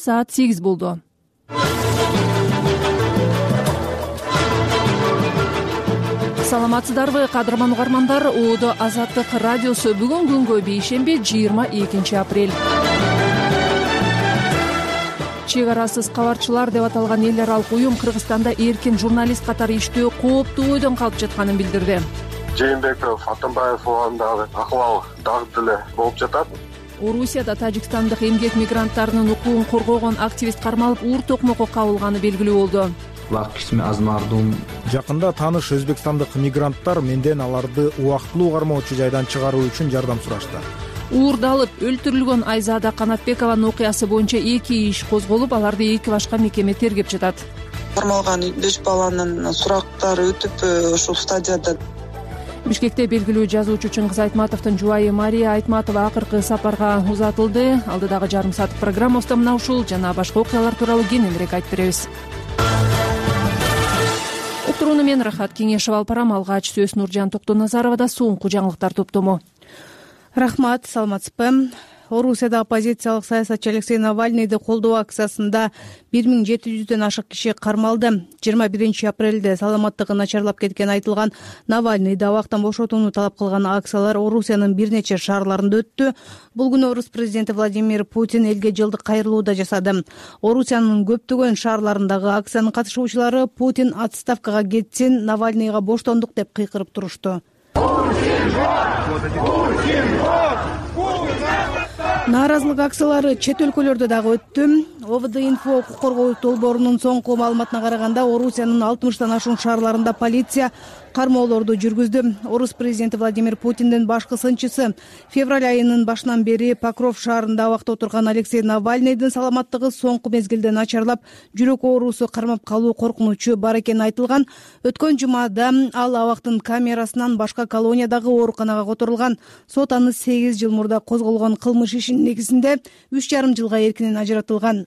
Саат 8 болду. Саламатсыздарбы, кадырман угармандар. ООД Азаттык радиосу бүгүн күнгө бейшемби 22 апрель. Чек арасыз кабарчылар деп аталган эл аралык уюм Кыргызстанда эркин журналист катары иштөө кооптуу ойдон калып жатканын билдирди. Жээнбеков, Атамбаев оондагы акыбал дагы деле болуп жатат. Орусияда тажикстандык эмгек мигранттарынын укугун коргогон активист кармалып, уур токмокко кабылганы белгилүү болду. Жакында тааныш өзбекстандык мигранттар менден аларды убактылуу кармоочу жайдан чыгаруу үчүн жардам сурашты. Уурдалып өлтүрүлгөн Айзада Канатбекованын окуясы боюнча 2 иш козголуп, аларды 2 башка мекеме тергеп жатат. Кармалган 5 баланын сурактары өтүп ушул стадияда. Бишкекте белгилүү жазуучу Чыңгыз Айтматовдун жубайы Мария Айтматова акыркы сапарга узатылды. Алдыдагы жарым саат программабызда мына ушул жана башка окуялар тууралуу кененирээк айтып беребиз. Уктурууну мен Рахат Кеңешев алып барам. Алгач сөз Нуржан Токтоназаровада соңку жаңылыктар топтому. Рахмат, саламатсызбы. Орусияда оппозициялык саясатчы Алексей Навальныйды колдоо акциясында 1700дөн ашык киши кармалды. 21 апрелде саламаттыгы начарлап кеткени айтылган Навальныйды абактан бошотууну талап кылган акциялар Орусиянын бир нече шаарларында өттү. Бул күнү Орус президенти Владимир Путин элге жылдык кайрылуу да жасады. Орусиянын көптөгөн шаарларындагы акциянын катышуучулары Путин отставкага кетсин, Навальныйга боштондук деп кыйкырып турушту. Нааразылык акциялары чет өлкөлөрдө дагы өттү. ОВД-инфо укук коргоо долбоорунун соңку маалыматына караганда, Орусиянын 60тан ашуун шаарларында полиция кармоолорду жүргүздү. Орус президенти Владимир Путиндин башкы сынчысы февраль айынын башынан бери Покров шаарында абакта отурган Алексей Навальныйдын саламаттыгы соңку мезгилде начарлап, жүрөк оорусу кармап калуу коркунучу бар экени айтылган. Өткөн жумада ал абактын камерасынан башка колониядагы ооруканага которулган. Сот аны 8 жыл мурда козголгон кылмыш ишинин негизинде 3,5 жылга эркинен ажыратылган.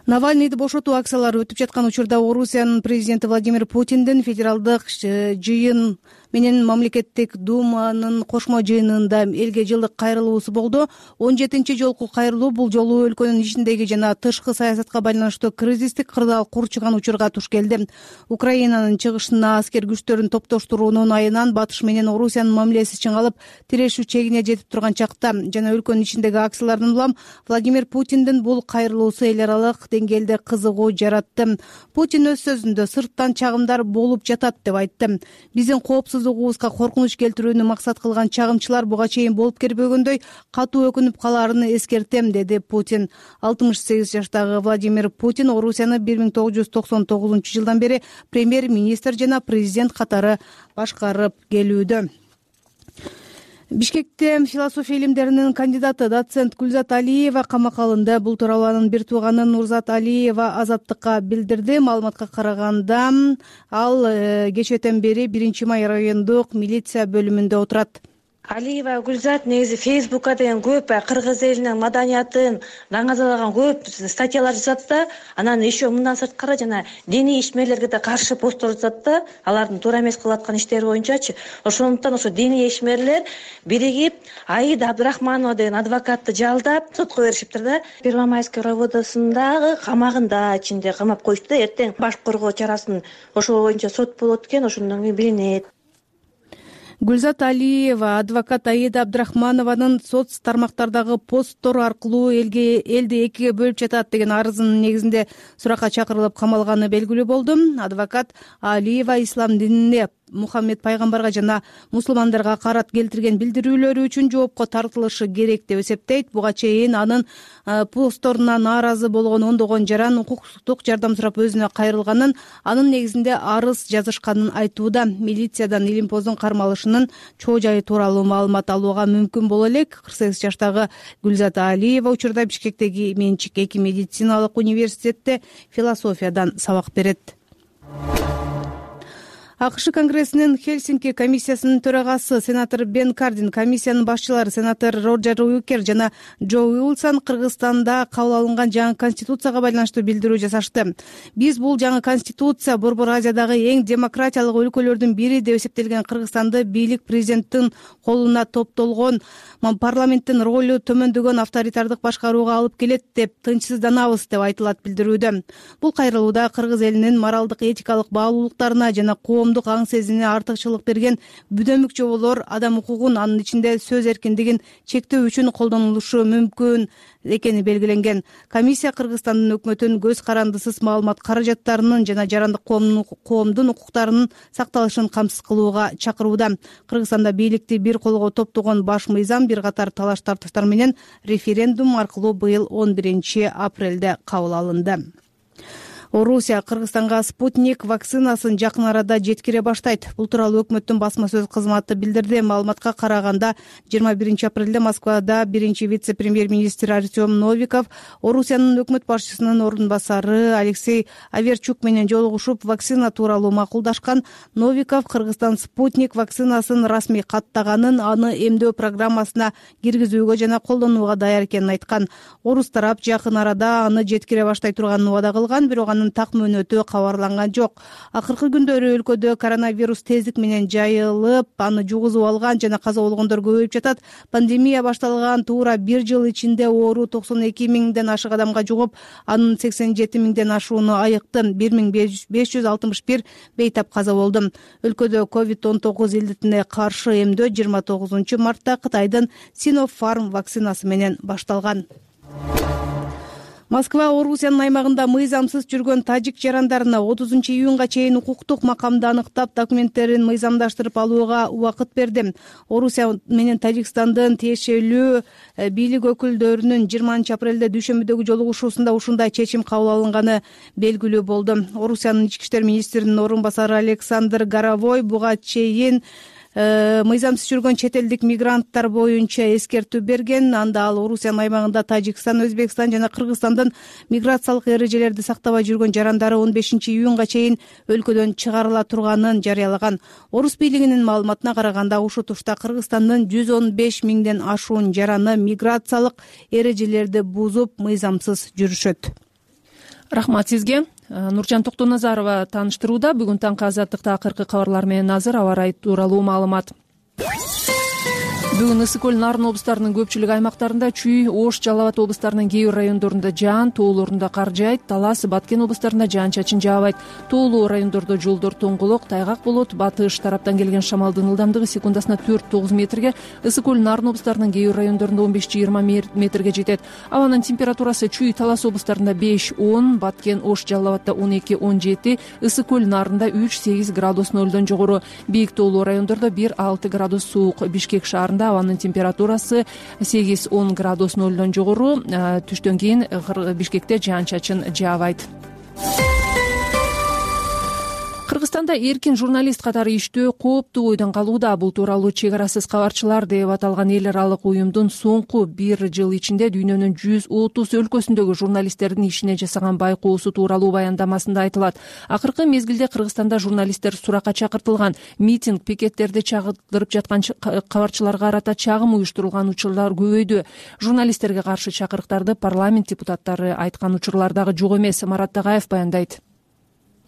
Навальныйды бошотуу акциялары өтүп жаткан учурда Орусиянын президенти Владимир Путиндин федералдык жыйын менен мамлекеттик думанын кошмо жыйынында элге жылдык кайрылуусу болду. 17-чи жолку кайрылуу бул жолу өлкөнүн ичиндеги жана тышкы саясатка байланыштуу кризистик кырдаал курчуган учурга туш келди. Украинанын чыгышына аскер күчтөрүн топтоштуруунун айынан батыш менен Орусиянын мамилеси чыңалып, тирешүү чегине жетип турган чакта жана өлкөнүн ичиндеги акциялардан улам Владимир Путиндин бул кайрылуусу эл аралык деңгээлде кызыгуу жаратты. Путин өз сөзүндө сырттан чагымдар болуп жатат деп айтты. Биздин коопсуздугубузга коркунуч келтирүүнү максат кылган чагымчылар буга чейин болуп келбегөндөй катуу өкүнүп калаарын эскертем, деди Путин. 68 жаштагы Владимир Путин Орусияны 1999 жылдан бери премьер-министр жана президент катары башкарып келүүдө. Бишкекте философия илимдеринин кандидаты доцент Гүлзат Алиева камакка алынды. Бул тууралуу анын бир тууганы Нурзат Алиева Азаттыкка билдирди. Маалыматка караганда, ал кечээден бери 1-май райондук милиция бөлүмүндө отурат. Алиева Гүлзат негизи Фейсбукка деген көп кыргыз элинин маданиятын даңазалаган көп статьялар жазат да, анан еще мындан сырткары жана диний ишмерлерге да каршы посттор жазат да, алардын туура эмес кылып аткан иштери боюнчачы. Ошондуктан ошо диний ишмерлер биригип Аида Абдрахманова деген адвокатты жалдап сотко беришиптир да. Первомайский районундагы камагында ичинде камап коюшту. Эртең баш коргоо чарасын ошол боюнча сот болот экен, ошондон кийин билинет. Гүлзат Алиева адвокат Аида Абдрахманованын соц тармактардагы посттору аркылуу элди экиге бөлүп жатат деген арызынын негизинде суракка чакырылып камалганы белгилүү болду. Адвокат Алиева ислам динине, Мухаммед пайгамбарга жана мусулмандарга карат келтирген билдирүүлөрү үчүн жоопко тартылышы керек деп эсептейт. Буга чейин анын постторуна нааразы болгон ондогон жаран укуктук жардам сурап өзүнө кайрылганын, анын негизинде арыз жазышканын айтууда. Милициядан илимпоздун кармалышынын чоо жайы тууралуу маалымат алууга мүмкүн боло элек. 48 жаштагы Гүлзат Алиева учурда Бишкектеги менчик эки медициналык университетте философиядан сабак берет. АКШ Конгрессинин Хельсинки комиссиясынын төрагасы сенатор Бен Кардин, комиссиянын башчылары сенатор Роджер Уикер жана Джо Уилсон Кыргызстанда кабыл алынган жаңы конституцияга байланыштуу билдирүү жасашты. Биз бул жаңы конституция Борбор Азиядагы эң демократиялык өлкөлөрдүн бири деп эсептелген Кыргызстанды бийлик президенттин колуна топтолгон парламенттин ролу төмөндөгөн авторитардык башкарууга алып келет деп тынчсызданабыз деп айтылат билдирүүдө. Бул кайрылууда кыргыз элинин моралдык этикалык баалуулуктарына жана коомдук аң сезимине артыкчылык берген бүдөмүк жоболор адам укугун, анын ичинде сөз эркиндигин чектөө үчүн колдонулушу мүмкүн экени белгиленген. Комиссия Кыргызстандын өкмөтүн көз карандысыз маалымат каражаттарынын жана жарандык коомдун укуктарынын сакталышын камсыз кылууга чакырууда. Кыргызстанда бийликти бир колго топтогон баш мыйзам бир катар талаш тартыштар менен референдум аркылуу быйыл 11 апрелде кабыл алынды. Орусия Кыргызстанга спутник вакцинасын жакын арада жеткире баштайт. Бул тууралуу өкмөттүн басма сөз кызматы билдирди. Маалыматка караганда 21 апрелде Москвада биринчи вице-премьер-министр Артем Новиков Орусиянын өкмөт башчысынын ордун басары Алексей Аверчук менен жолугушуп, вакцина тууралуу макулдашкан. Новиков Кыргызстан спутник вакцинасын расмий каттаганын, аны эмдөө программасына киргизүүгө жана колдонууга даяр экенин айткан. Орус тарап жакын арада аны жеткире баштай турганын убада кылган, бирок анын так мөөнөтү кабарланган жок. Акыркы күндөрү өлкөдө коронавирус тездик менен жайылып, аны жугузуп алган жана каза болгондор көбөйүп жатат. Пандемия башталган туура бир жыл ичинде оору 92 миңден ашык адамга жугуп, анын 87 миңден ашууну айыкты. 1561 бейтап каза болду. Өлкөдө COVID-19 илдетине каршы эмдөө 29 мартта Кытайдын Sinopharm вакцинасы менен башталган. Москва Орусиянын аймагында мыйзамсыз жүргөн тажик жарандарына 30 июнга чейин укуктук макамды аныктап, документтерин мыйзамдаштырып алууга убакыт берди. Орусия менен Тажикстандын тиешелүү бийлик өкүлдөрүнүн 20 апрелде дүйшөмбүдөгү жолугушуусунда ушундай чечим кабыл алынганы белгилүү болду. Орусиянын ички иштер министринин орун басары Александр Горовой буга чейин мыйзамсыз жүргөн чет элдик мигранттар боюнча эскертүү берген. Анда ал Орусиянын аймагында Тажикстан, Өзбекстан жана Кыргызстандын миграциялык эрежелерди сактабай жүргөн жарандары 15 июнга чейин өлкөдөн чыгарыла турганын жарыялаган. Орус бийлигинин маалыматына караганда, ушу тушта Кыргызстандын 115 миңден ашуун жараны миграциялык эрежелерди бузуп, мыйзамсыз жүрүшөт. Рахмат сизге. Нуржан Токтоназарова тааныштырууда. Бүгүн таңкы Азаттыкта акыркы кабарлар менен азыр аба ырайы тууралуу маалымат. Бүгүн Ысык көл, Нарын облустарынын көпчүлүк аймактарында чүй, Ош, Жалал Абад облустарынын кээ бир райондорунда жаан, тоолорунда кар жаайт. Талас, Баткен облустарында жаан-чачын жаабайт. Тоолуу райондордо жолдор тоңголок, тайгак болот. Батыш тараптан келген шамалдын ылдамдыгы секундасына 4-9 метрге, Ысык көл, Нарын облустарынын кээ бир райондорунда 15-20 метрге жетет. Абанын температурасы чүй, Талас облустарында 5-10, Баткен, Ош, Жалал Абадда 12-17, Ысык көл, Нарында 3-8 градус нөлдөн жогору. Бийик тоолуу райондордо 1-6 градус суук. Бишкек шаарында абанын температурасы 8-10 градус нөлдөн жогору. Түштөн кийин Бишкекте жаан-чачын жаабайт. Кыргызстанда эркин журналист катары иштөө кооптуу ойдон калууда. Бул тууралуу Чек арасыз кабарчылар деп аталган эл аралык уюмдун соңку бир жыл ичинде дүйнөнүн 130 өлкөсүндөгү журналисттердин ишине жасаган байкоосу тууралуу баяндамасында айтылат. Акыркы мезгилде Кыргызстанда журналисттер суракка чакыртылган. Митинг, пикеттерди чагыртып жаткан кабарчыларга карата чагым уюштурулган учурлар көбөйдү. Журналисттерге каршы чакырыктарды парламент депутаттары айткан учурлар дагы жок эмес. Марат Тагаев баяндайт.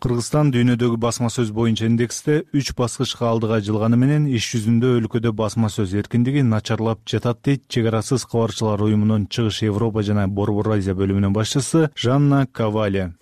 Кыргызстан дүйнөдөгү басма сөз боюнча индексте 3 баскычка алдыга жылганы менен иш жүзүндө өлкөдө басма сөз эркиндиги начарлап жатат дейт Чек арасыз кабарчылар уюмунун Чыгыш Европа жана Борбор Азия бөлүмүнүн башчысы Жанна Кавали.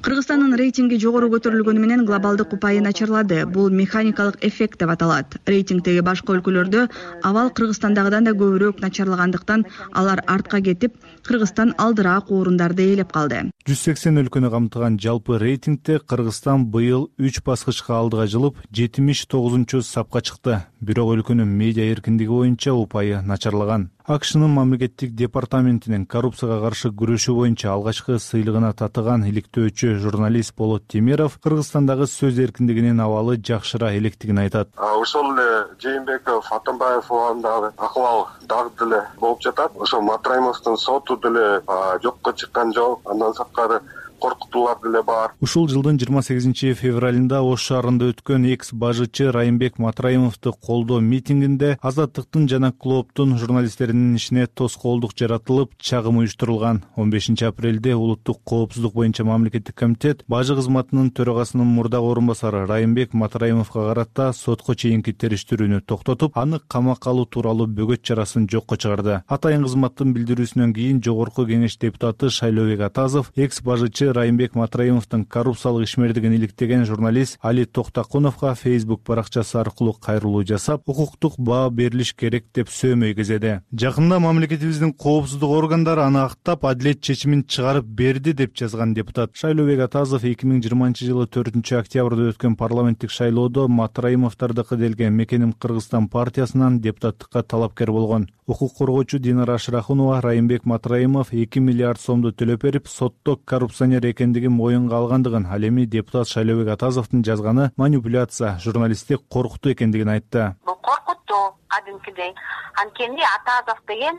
Кыргызстандын рейтинги жогору көтөрүлгөнү менен глобалдык упайы начарлады. Бул механикалык эффект деп аталат. Рейтингдеги башка өлкөлөрдө абал Кыргызстандагыдан да көбүрөөк начарлагандыктан алар артка кетип, Кыргызстан алдыраак орундарды ээлеп калды. 180 өлкөнү камтыган жалпы рейтингде Кыргызстан быйыл 3 баскычка алдыга жылып 79-чу сапка чыкты. Бирок өлкөнүн медиа эркиндиги боюнча упайы начарлаган. АКШнын мамлекеттик департаментинин коррупцияга каршы күрөшүү боюнча алгачкы сыйлыгына татыган иликтөөчү журналист Болот Темиров Кыргызстандагы сөз эркиндигинин абалы жакшыра электигин айтат. Ошол эле Жээнбеков, Атамбаев убагындагы акыбал дагы деле болуп жатат. Ошо Матраимовдун соту деле жокко чыккан жок. Андан сырткары коркутуулар деле бар. Ушул жылдын 28 февралында Ош шаарында өткөн экс бажычы Райымбек Матраимовду колдоо митингинде Азаттыктын жана Клооптун журналисттеринин ишине тоскоолдук жаратылып, чагым уюштурулган. 15 апрелде Улуттук коопсуздук боюнча мамлекеттик комитет бажы кызматынын төрагасынын мурдагы орун басары Райымбек Матраимовго карата сотко чейинки териштирүүнү токтотуп, аны камакка алуу тууралуу бөгөт чарасын жокко чыгарды. Атайын кызматтын билдирүүсүнөн кийин Жогорку Кеңеш депутаты Шайлообек Атазов экс бажычы Райымбек Матраимовдун коррупциялык ишмердигин иликтеген журналист Али Токтакуновго Facebook баракчасы аркылуу кайрылуу жасап, укуктук баа берилиш керек деп сөөмөй кезеди. Жакында мамлекетибиздин коопсуздук органдары аны актап, адилет чечимин чыгарып берди деп жазган депутат Шайлообек Атазов 2020-жылы 4-октябрда өткөн парламенттик шайлоодо Матраимовдордуку делген Мекеним Кыргызстан партиясынан депутаттыкка талапкер болгон. Укук коргоочу Динара Ашрахунова Райымбек Матраимов 2 миллиард сомду төлөп берип, сотто коррупционер экендигин моюнга алгандыгын, ал эми депутат Шайлообек Атазовдун жазганы манипуляция, журналистти коркутуу экендигин айтты. Бул коркутуу кадимкидей. Анткени Атазов деген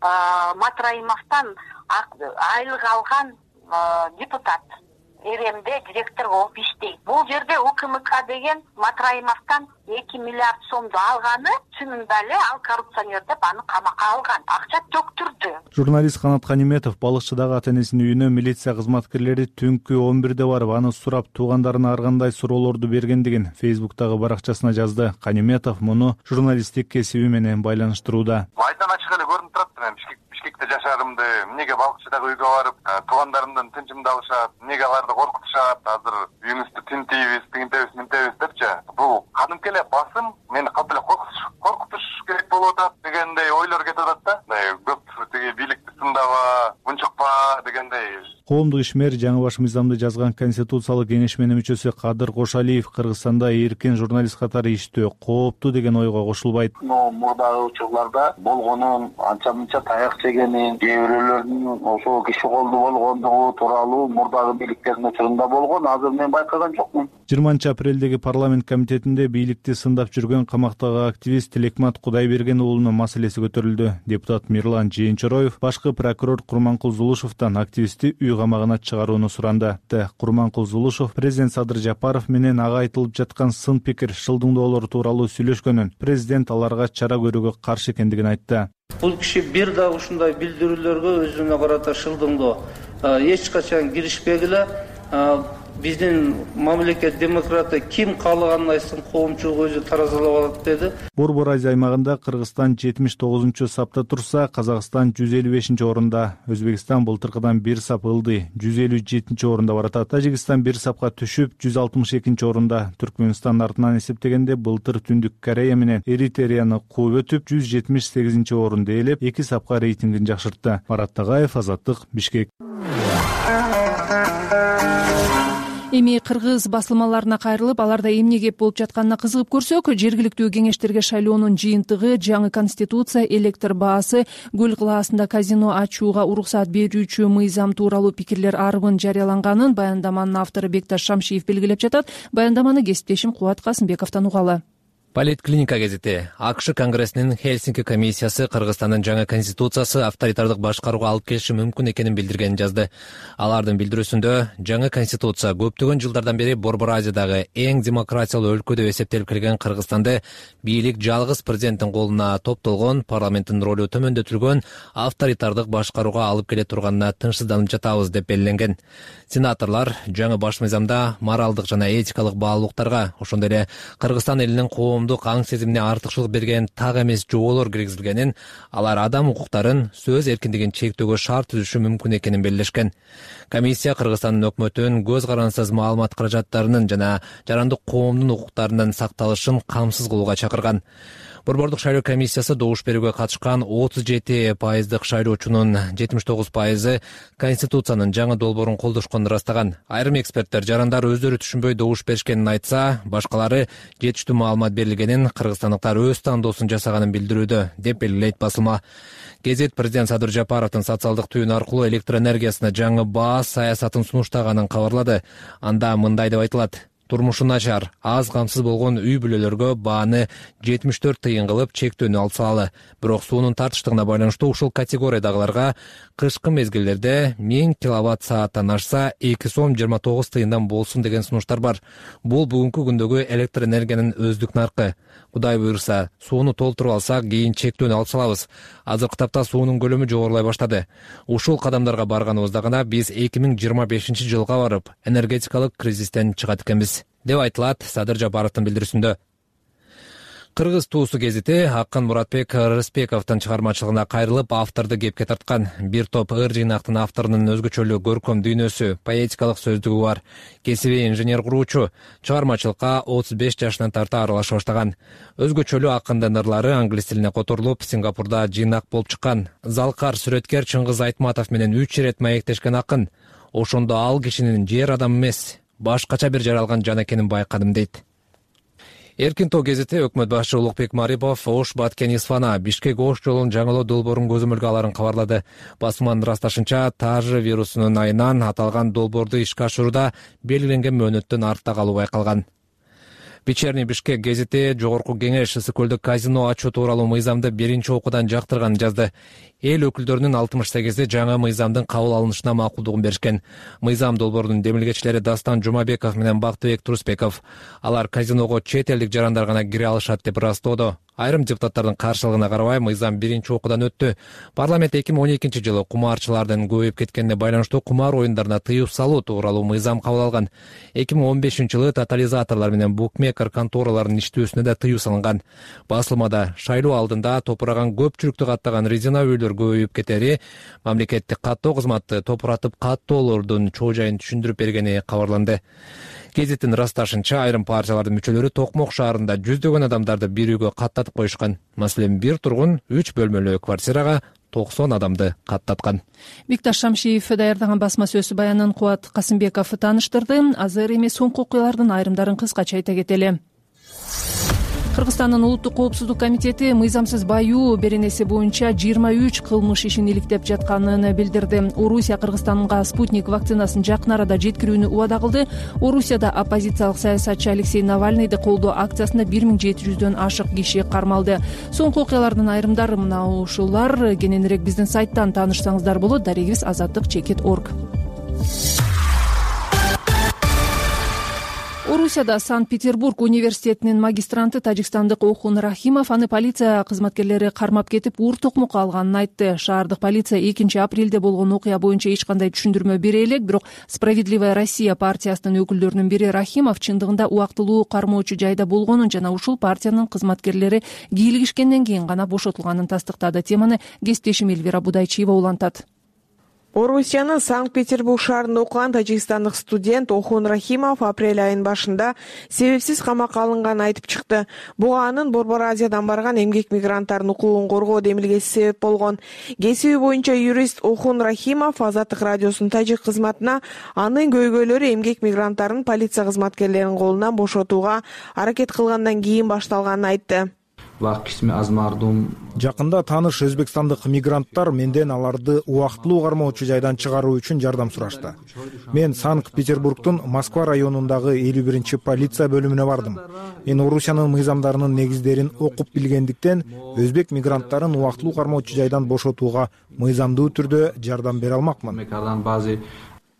Матраимовдон айлык алган депутат. РМде директор болуп иштейт. Бул жерде УКМК деген Матраимовдон 2 миллиард сомду алганы, чынында эле ал коррупционер деп аны камакка алган. Акча төктүрдү. Журналист Канат Каниметов балыкчыдагы ата-энесинин үйүнө милиция кызматкерлери түнкү 11де барып, аны сурап, туугандарына ар кандай суроолорду бергендигин Facebook'тагы баракчасына жазды. Каниметов муну журналисттик кесиби менен байланыштырууда. Майдан ачык эле көрүнүп турат мен Бишкекте жашарымды, эмнеге балыкчыдагы үйгө барып, туугандарымдын тынчымды алышат, эмнеге аларды коркутушат, азыр үйүңүздү тинтейбиз, тигинтебиз, мынтебиз депчи. Бул кадимки эле басым мени катты эле коркутуш керек болуп атат дегендей ойлор кетип атат да. Көп тиги бийликти сындаба, унчукпа дегендей. Коомдук ишмер жаңы баш мыйзамды жазган Конституциялык кеңешменин мүчөсү Кадыр Кошалиев Кыргызстанда эркин журналист катары иштөө кооптуу деген ойго кошулбайт. Мурдагы учурларда болгонун, анча-мынча таяк жегенин, кээ бирөөлөрдүн ошол киши колду болгондугу тууралуу мурдагы бийликтердин учурунда болгон, азыр мен байкаган жокмун. 20 апрелдеги парламент комитетинде бийликти сындап жүргөн камактагы активист Тилекмат Кудайберген уулунун маселеси көтөрүлдү. Депутат Мирлан Жээнчороев башкы прокурор Курманкул Зулушевдон активистти үй камагына чыгарууну суранды. Курманкул Зулушев президент Садыр Жапаров менен ага айтылып жаткан сын пикир, шылдыңдоолор тууралуу сүйлөшкөнүн, президент аларга чара көрүүгө каршы экендигин айтты. Бул киши бир дагы ушундай билдирүүлөргө өзүнө карата шылдыңдоо эч качан киришпегиле. Биздин мамлекет демократы ким каалаганын айтсын, коомчулук өзү таразалап алат деди. Борбор Азия аймагында Кыргызстан 79-сапта турса, Казакстан 155 орунда. Өзбекстан былтыркыдан 1 сап ылды, 157 орунда баратат. Тажикстан 1 сапка түшүп 162 орунда. Түркмөнстан артынан эсептегенде былтыр Түндүк Корея менен Эритреяны кууп өтүп 178 орунду ээлеп, 2 сапка рейтингин жакшыртты. Марат Тагаев, Азаттык, Бишкек. Эми кыргыз басылмаларына кайрылып, аларда эмне кеп болуп жатканына кызыгып көрсөк, жергиликтүү кеңештерге шайлоонун жыйынтыгы, жаңы конституция, электр баасы, Көл кылаасында казино ачууга уруксат берүүчү мыйзам тууралуу пикирлер арбын жарыяланганын баяндаманын автору Бекташ Шамшиев белгилеп жатат. Баяндаманы кесиптешим Кубат Касымбековдон угалы. Политклиника гезити. АКШ Конгрессинин Хельсинки комиссиясы Кыргызстандын жаңы конституциясы авторитардык башкарууга алып келиши мүмкүн экенин билдиргенин жазды. Алардын билдирүүсүндө жаңы конституция көптөгөн жылдардан бери Борбор Азиядагы эң демократиялуу өлкө деп эсептелип келген Кыргызстанды бийлик жалгыз президенттин колуна топтолгон, парламенттин ролу төмөндөтүлгөн, авторитардык башкарууга алып келе турганына тынчсызданып жатабыз деп белгиленген. Сенаторлор жаңы баш мыйзамда моралдык жана этикалык баалуулуктарга, ошондой эле Кыргызстан элинин коомдук аң сезимине артыкчылык берген так эмес жоолор киргизилгенин, алар адам укуктарын, сөз эркиндигин чектөөгө шарт түзүшү мүмкүн экенин белгилешкен. Комиссия Кыргызстандын өкмөтүн көз карансыз маалымат каражаттарынын жана жарандык коомдун укуктарынын сакталышын камсыз кылууга чакырган. Борбордук шайлоо комиссиясы добуш берүүгө катышкан 37% шайлоочунун 79% Конституциянын жаңы долбоорун колдошконун ырастаган. Айрым эксперттер жарандар өздөрү түшүнбөй добуш беришкенин айтса, башкалары жетиштүү маалымат берилгенин, кыргызстандыктар өз тандоосун жасаганын билдирүүдө, деп белгилейт басылма. Гезит президент Садыр Жапаровдун социалдык түйүн аркылуу электр энергиясына жаңы баа саясатын сунуштаганын кабарлады. Анда мындай деп айтылат: турмушу начар, аз камсыз болгон үй бүлөлөргө бааны 74 тыйын кылып чектөөнү алып салалы. Бирок суунун тартыштыгына байланыштуу ушул категориядагыларга кышкы мезгилдерде 1000 киловатт сааттан ашса 2 сом 29 тыйындан болсун деген сунуштар бар. Бул бүгүнкү күндөгү электр энергиянын өздүк наркы. Кудай буйрса, сууну толтуруп алсак, кийин чектөөнү алып салабыз. Азыркы тапта суунун көлөмү жогорулай баштады. Ушул кадамдарга барганыбызда гана биз 2025 жылга барып, энергетикалык кризистен чыгат экенбиз, деп айтылат Садыр Жапаровдун билдирүүсүндө. Кыргыз туусу гезити Акын Муратбек Рыспековдун чыгармачылыгына кайрылып, авторду кепке тарткан. Бир топ ыр жыйнактын авторунун өзгөчөлүү көркөм дүйнөсү, поэтикалык сөздүгү бар. Кесиби инженер куруучу, чыгармачылыкка 35 жашынан тарта аралаша баштаган. Өзгөчөлүү акындын ырлары англис тилине которулуп, Сингапурда жыйнак болуп чыккан. Залкар сүрөткер Чыңгыз Айтматов менен 3 ирет маектешкен акын. Ошондо ал кишинин жер адамы эмес, башкача бир жаралган жан экенин байкадым дейт. Эркин тоо гезити өкмөт башчы Улукбек Марипов Ош Баткен Исфана Бишкек Ош жолун жаңылоо долбоорун көзөмөлгө аларын кабарлады. Басманын ырасташынча, тажы вирусунун айынан аталган долбоорду ишке ашырууда белгиленген мөөнөттөн артта калуу байкалган. Вечерний Бишкек гезити Жогорку Кеңеш Ысык көлдө казино ачуу тууралуу мыйзамды биринчи окуудан жактырганын жазды. Эл өкүлдөрүнүн 68 жаңы мыйзамдын кабыл алынышына макулдугун беришкен. Мыйзам долбоорунун демилгечилери Дастан Жумабеков менен Бактыбек Турусбеков. Алар казиного чет элдик жарандар гана кире алышат деп ырастоодо. Айрым депутаттардын каршылыгына карабай мыйзам биринчи окуудан өттү. Парламент 2012 жылы кумарчылардын көбөйүп кеткенине байланыштуу кумар оюндарына тыюу салуу тууралуу мыйзам кабыл алган. 2015 жылы тотализаторлор менен букмекер контораларынын иштөөсүнө да тыюу салынган. Басылмада шайлоо алдында топураган көпчүлүктү каттаган резина үйлөр көбөйүп кетери, мамлекеттик каттоо кызматы топуратып каттоолордун чоо жайын түшүндүрүп бергени кабарланды. Гезиттин ырасташынча, айрым партиялардын мүчөлөрү Токмок шаарында жүздөгөн адамдарды бир үйгө каттатып коюшкан. Маселен, бир тургун 3 бөлмөлүү квартирага 90 адамды каттаткан. Бикташ Шамшиев даярдаган басма сөз баянын Кубат Касымбеков тааныштырды. Азыр эми соңку окуялардын айрымдарын кыскача айта кетели. Кыргызстандын улуттук коопсуздук комитети мыйзамсыз баюу беренеси боюнча 23 кылмыш ишин иликтеп жатканын билдирди. Орусия Кыргызстанга спутник вакцинасын жакын арада жеткирүүнү убада кылды. Орусияда оппозициялык саясатчы Алексей Навальныйды колдоо акциясында 1700дөн ашык киши кармалды. Соңку окуялардын айрымдары мына ушулар. Кененирээк биздин сайттан таанышсаңыздар болот. Дарегибиз azatlyk.org. Орусияда Санкт-Петербург университетинин магистранты тажикстандык Охун Рахимов аны полиция кызматкерлери кармап кетип, ур токмокко алганын айтты. Шаардык полиция 2 апрелде болгон окуя боюнча эч кандай түшүндүрмө бере элек, бирок Справедливая Россия партиясынын өкүлдөрүнүн бири Рахимов чындыгында убактылуу кармоочу жайда болгонун жана ушул партиянын кызматкерлери кийлигишкенден кийин гана бошотулганын тастыктады. Теманы кесиптешим Эльвира Будайчиева улантат. Орусиянын Санкт-Петербург шаарында окуган тажикстандык студент Охун Рахимов апрель айынын башында себепсиз камакка алынганын айтып чыкты. Буга анын Борбор Азиядан барган эмгек мигранттардын укугун коргоо демилгеси себеп болгон. Кесиби боюнча юрист Охун Рахимов Азаттык радиосунун тажик кызматына анын көйгөйлөрү эмгек мигранттардын полиция кызматкерлеринин колунан бошотууга аракет кылгандан кийин башталганын айтты. Жакында тааныш өзбекстандык мигранттар менден аларды убактылуу кармоочу жайдан чыгаруу үчүн жардам сурашты. Мен Санкт-Петербургдун Москва районундагы 51 полиция бөлүмүнө бардым. Мен Орусиянын мыйзамдарынын негиздерин окуп билгендиктен өзбек мигранттарын убактылуу кармоочу жайдан бошотууга мыйзамдуу түрдө жардам бере алмакмын,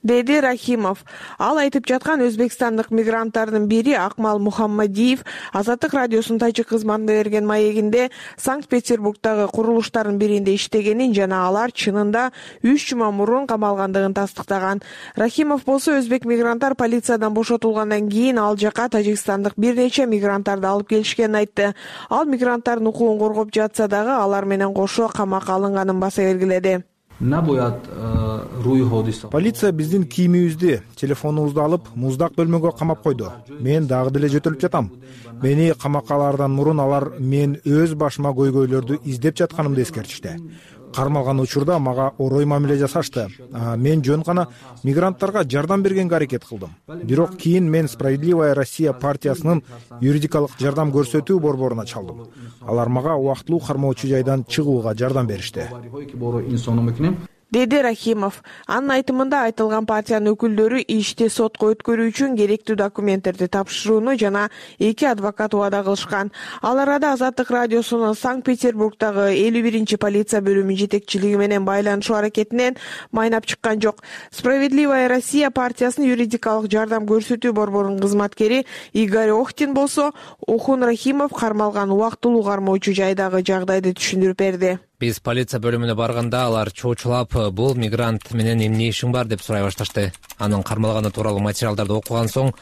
деди Рахимов. Ал айтып жаткан өзбекстандык мигранттардын бири Акмал Мухаммадиев Азаттык радиосунун тажик кызматына берген маегинде Санкт-Петербургдагы курулуштардын биринде иштегенин жана алар чынында 3 жума мурун камалгандыгын тастыктаган. Рахимов болсо өзбек мигранттар полициядан бошотулгандан кийин ал жака тажикстандык бир нече мигранттарды алып келишкенин айтты. Ал мигранттардын укугун коргоп жатса дагы алар менен кошо камакка алынганын баса белгиледи. Полиция биздин кийимибизди, телефонубузду алып, муздак бөлмөгө камап койду. Мен дагы деле жөтөлүп жатам. Мени камакка алаардан мурун алар мен өз башыма көйгөйлөрдү издеп жатканымды эскертишти. Кармалган учурда мага орой мамиле жасашты. Мен жөн гана мигранттарга жардам бергенге аракет кылдым. Бирок кийин мен Справедливая Россия партиясынын юридикалык жардам көрсөтүү борборуна чалдым. Алар мага убактылуу кармоочу жайдан чыгууга жардам беришти. деди Рахимов. Анын айтымында айтылган партиянын өкүлдөрү ишти сотко өткөрүү үчүн керектүү документтерди тапшырууну жана 2 адвокат убада кылышкан. Ал арада Азаттык радиосунун Санкт-Петербургдагы 51 полиция бөлүмү жетекчилиги менен байланышуу аракетинен майнап чыккан жок. Справедливая Россия партиясынын юридикалык жардам көрсөтүү борборунун кызматкери Игорь Охтин болсо Охун Рахимов кармалган убактылуу кармоочу жайдагы жагдайды түшүндүрүп берди. Биз полиция бөлүмүнө барганда алар чоочулап, бул мигрант менен эмне ишиң бар деп сурай башташты. Анын кармалганы тууралуу материалдарды окуган соң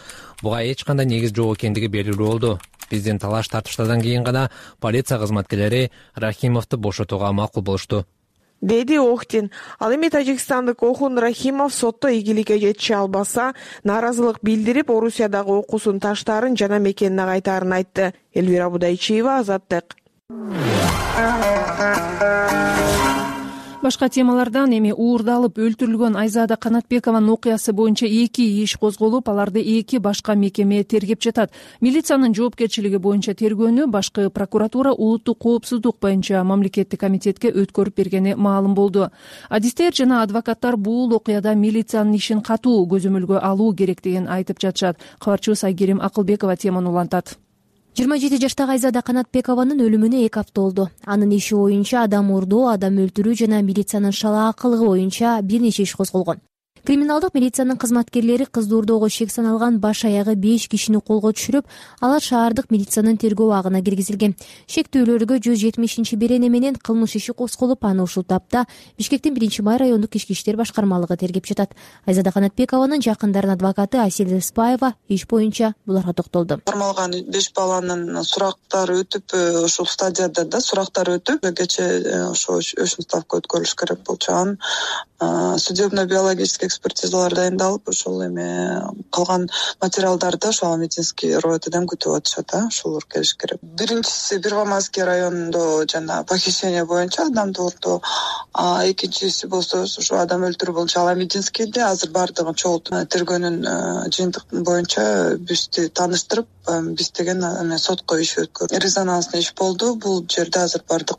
буга эч кандай негиз жок экендиги белгилүү болду. Биздин талаш тартыштардан кийин гана полиция кызматкерлери Рахимовду бошотууга макул болушту, деди Охтин. Ал эми тажикстандык Охун Рахимов сотто ийгиликке жетише албаса, нааразылык билдирип, Орусиядагы окуусун таштаарын жана мекенине кайтаарын айтты. Элвира Будайчиева, Азаттык. Башка темалардан эми уурдалып өлтүрүлгөн Айзада Канатбекованын окуясы боюнча 2 иш козголуп, аларды 2 башка мекеме тергеп жатат. Милициянын жоопкерчилиги боюнча тергөөнү башкы прокуратура улуттук коопсуздук боюнча мамлекеттик комитетке өткөрүп бергени маалым болду. Адистер жана адвокаттар бул окуяда милициянын ишин катуу көзөмөлгө алуу керектигин айтып жатышат. Кабарчыбыз Айгерим Акылбекова теманы улантат. 27 жаштагы Айзада Канатбекованын өлүмүнө 2 апта болду. Анын иши боюнча адам урдоо, адам өлтүрүү жана милициянын шалаакылыгы боюнча бир нече иш козголгон. Криминалдык милициянын кызматкерлери кызды урдоого шек саналган баш аягы 5 кишини колго түшүрүп, алар шаардык милициянын тергөө абагына киргизилген. Шектүүлөргө 170-берене менен кылмыш иши козголуп, аны ушул тапта Бишкектин 1-май райондук ички иштер башкармалыгы тергеп жатат. Айзада Канатбекованын жакындарынын адвокаты Асель Рыспаева иш боюнча буларга токтолду. Кармалган 5 баланын сурактары өтүп, ушул стадияда да сурактар өтүп, кечээ ошо өчүн ставка өткөрүлүш керек болчу. Судебно-биологический экспертизалар дайындалып, ошол эми калган материалдарды ошол медицинский роетеден күтүп атышат, ошолор келиш керек. Биринчиси Первомайский районунда жана похищение боюнча адамды урдоо, экинчиси болсо ушу адам өлтүрүү боюнча Аламединскийде азыр бардыгын чогултуп тергөөнүн жыйынтык боюнча бизди тааныштырып, биз деген сотко иш өткөрдүк. Резонанстный иш болду. Бул жерде азыр бардык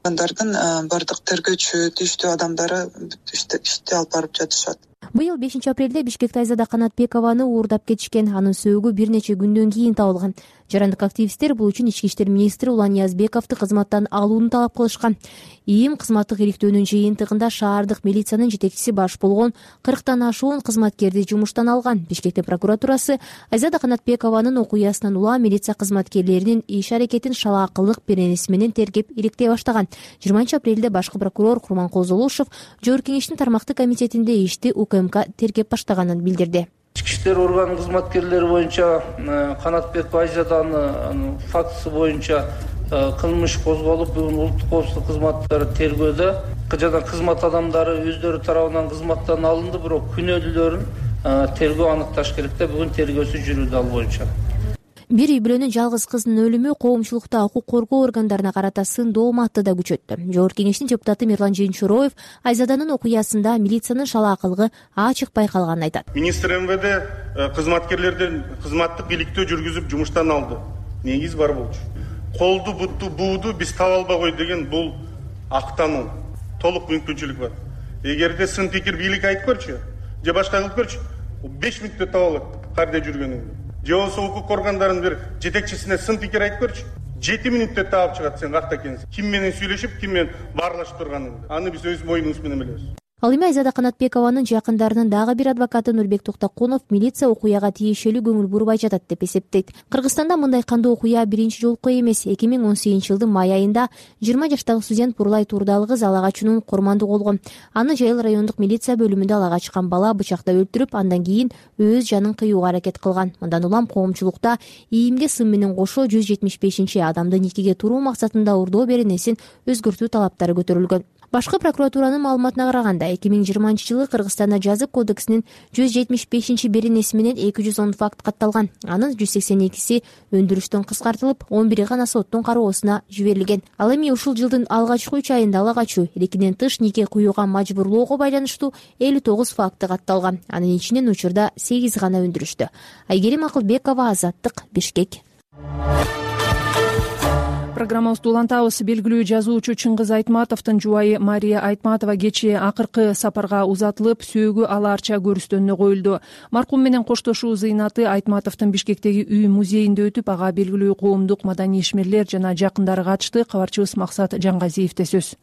тергөөчү, тийиштүү адамдары ишти алып барып жатышат. Быйыл 5 апрелде Бишкекте Айзада Канатбекованы уурдап кетишкен. Анын сөөгү бир нече күндөн кийин табылган. Жарандык активисттер бул үчүн Ички иштер министри Улан Ниязбековду кызматтан алууну талап кылышкан. ИИМ кызматтык иликтөөнүн жыйынтыгында шаардык милициянын жетекчиси баш болгон 40тан ашуун кызматкерди жумуштан алган. Бишкектин прокуратурасы Айзада Канатбекованын окуясынан улам милиция кызматкерлеринин иш аракетин шалаакылык беренеси менен тергеп иликтей баштаган. 20 апрелде башкы прокурор Курманкул Золушев Жогорку Кеңештин тармактык комитетинде ишти УКМК тергеп баштаганын билдирди. Ички иштер орган кызматкерлери боюнча Канатбекова Айзаданын фактысы боюнча кылмыш козголуп, бүгүн улуттук коопсуздук кызматтары тергөөдө жана кызмат адамдары өздөрү тарабынан кызматтан алынды, бирок күнөөлүүлөрүн тергөө аныкташ керек да, бүгүн тергөөсү жүрүүдө ал боюнча. Бир үй бүлөнүн жалгыз кызынын өлүмү коомчулукта укук коргоо органдарына карата сындоо маатты да күчөттү. Жогорку Кеңештин депутаты Мирлан Жыйынчуроев Айзаданын окуясында милициянын шалаакылыгы ачык байкалганын айтат. Министр МВД кызматкерлерден кызматтык иликтөө жүргүзүп жумуштан алды. Негиз бар болчу. Колду, бутту, бууду биз таба албай деген бул актануу. Толук мүмкүнчүлүк бар. Эгерде сын пикир бийлик айтып көрчү, же башка кылып көрчү, 5 мүнөттө таба алат кайда жүргөнүңдү. Же болсо укук органдарынын бир жетекчисине сын пикир айтып көрчү, 7 мүнөттө таап чыгат сен какта экенсиң. Ким менен сүйлөшүп, ким менен баарлашып турганыңды. Аны биз өз моюнубуз менен билебиз. Ал эми Айзада Канатбекованын жакындарынын дагы бир адвокаты Нурбек Токтокунов милиция окуяга тиешелүү көңүл бурбай жатат деп эсептейт. Кыргызстанда мындай кандуу окуя биринчи жолку эмес. 2018-жылдын май айында 20 жаштагы студент Бурлай Турдалы кыз ала качуунун курмандуу болгон. Аны Жайыл райондук милиция бөлүмүндө ала качкан бала бычактап өлтүрүп, андан кийин өз жанын кыюуга аракет кылган. Мындан улам коомчулукта ИИМге сын менен кошо 175 адамды никеге туруу максатында урдоо беренесин өзгөртүү талаптары көтөрүлгөн. Башкы прокуратуранын маалыматына караганда 2020-жылы Кыргызстанда жазык кодексинин 175-беренеси менен 210 факт катталган. Анын 182си өндүрүштөн кыскартылып, 11 гана соттун кароосуна жиберилген. Ал эми ушул жылдын алгачкы 3 айында ала качуу, эркинен тыш нике куюуга мажбурлоого байланыштуу 59 факты катталган. Анын ичинен учурда 8 гана өндүрүштү. Айгерим Акылбекова, Азаттык, Бишкек. программабызды улантабыз. Белгилүү жазуучу Чыңгыз Айтматовдун жубайы Мария Айтматова кечээ акыркы сапарга узатылып, сөөгү алаарча көрүстөнүнө коюлду. Маркум менен коштошуу зыйнаты Айтматовдун Бишкектеги үй музейинде өтүп, ага белгилүү коомдук маданий ишмерлер жана жакындары катышты. Кабарчыбыз Максат Жангазиевде сөз.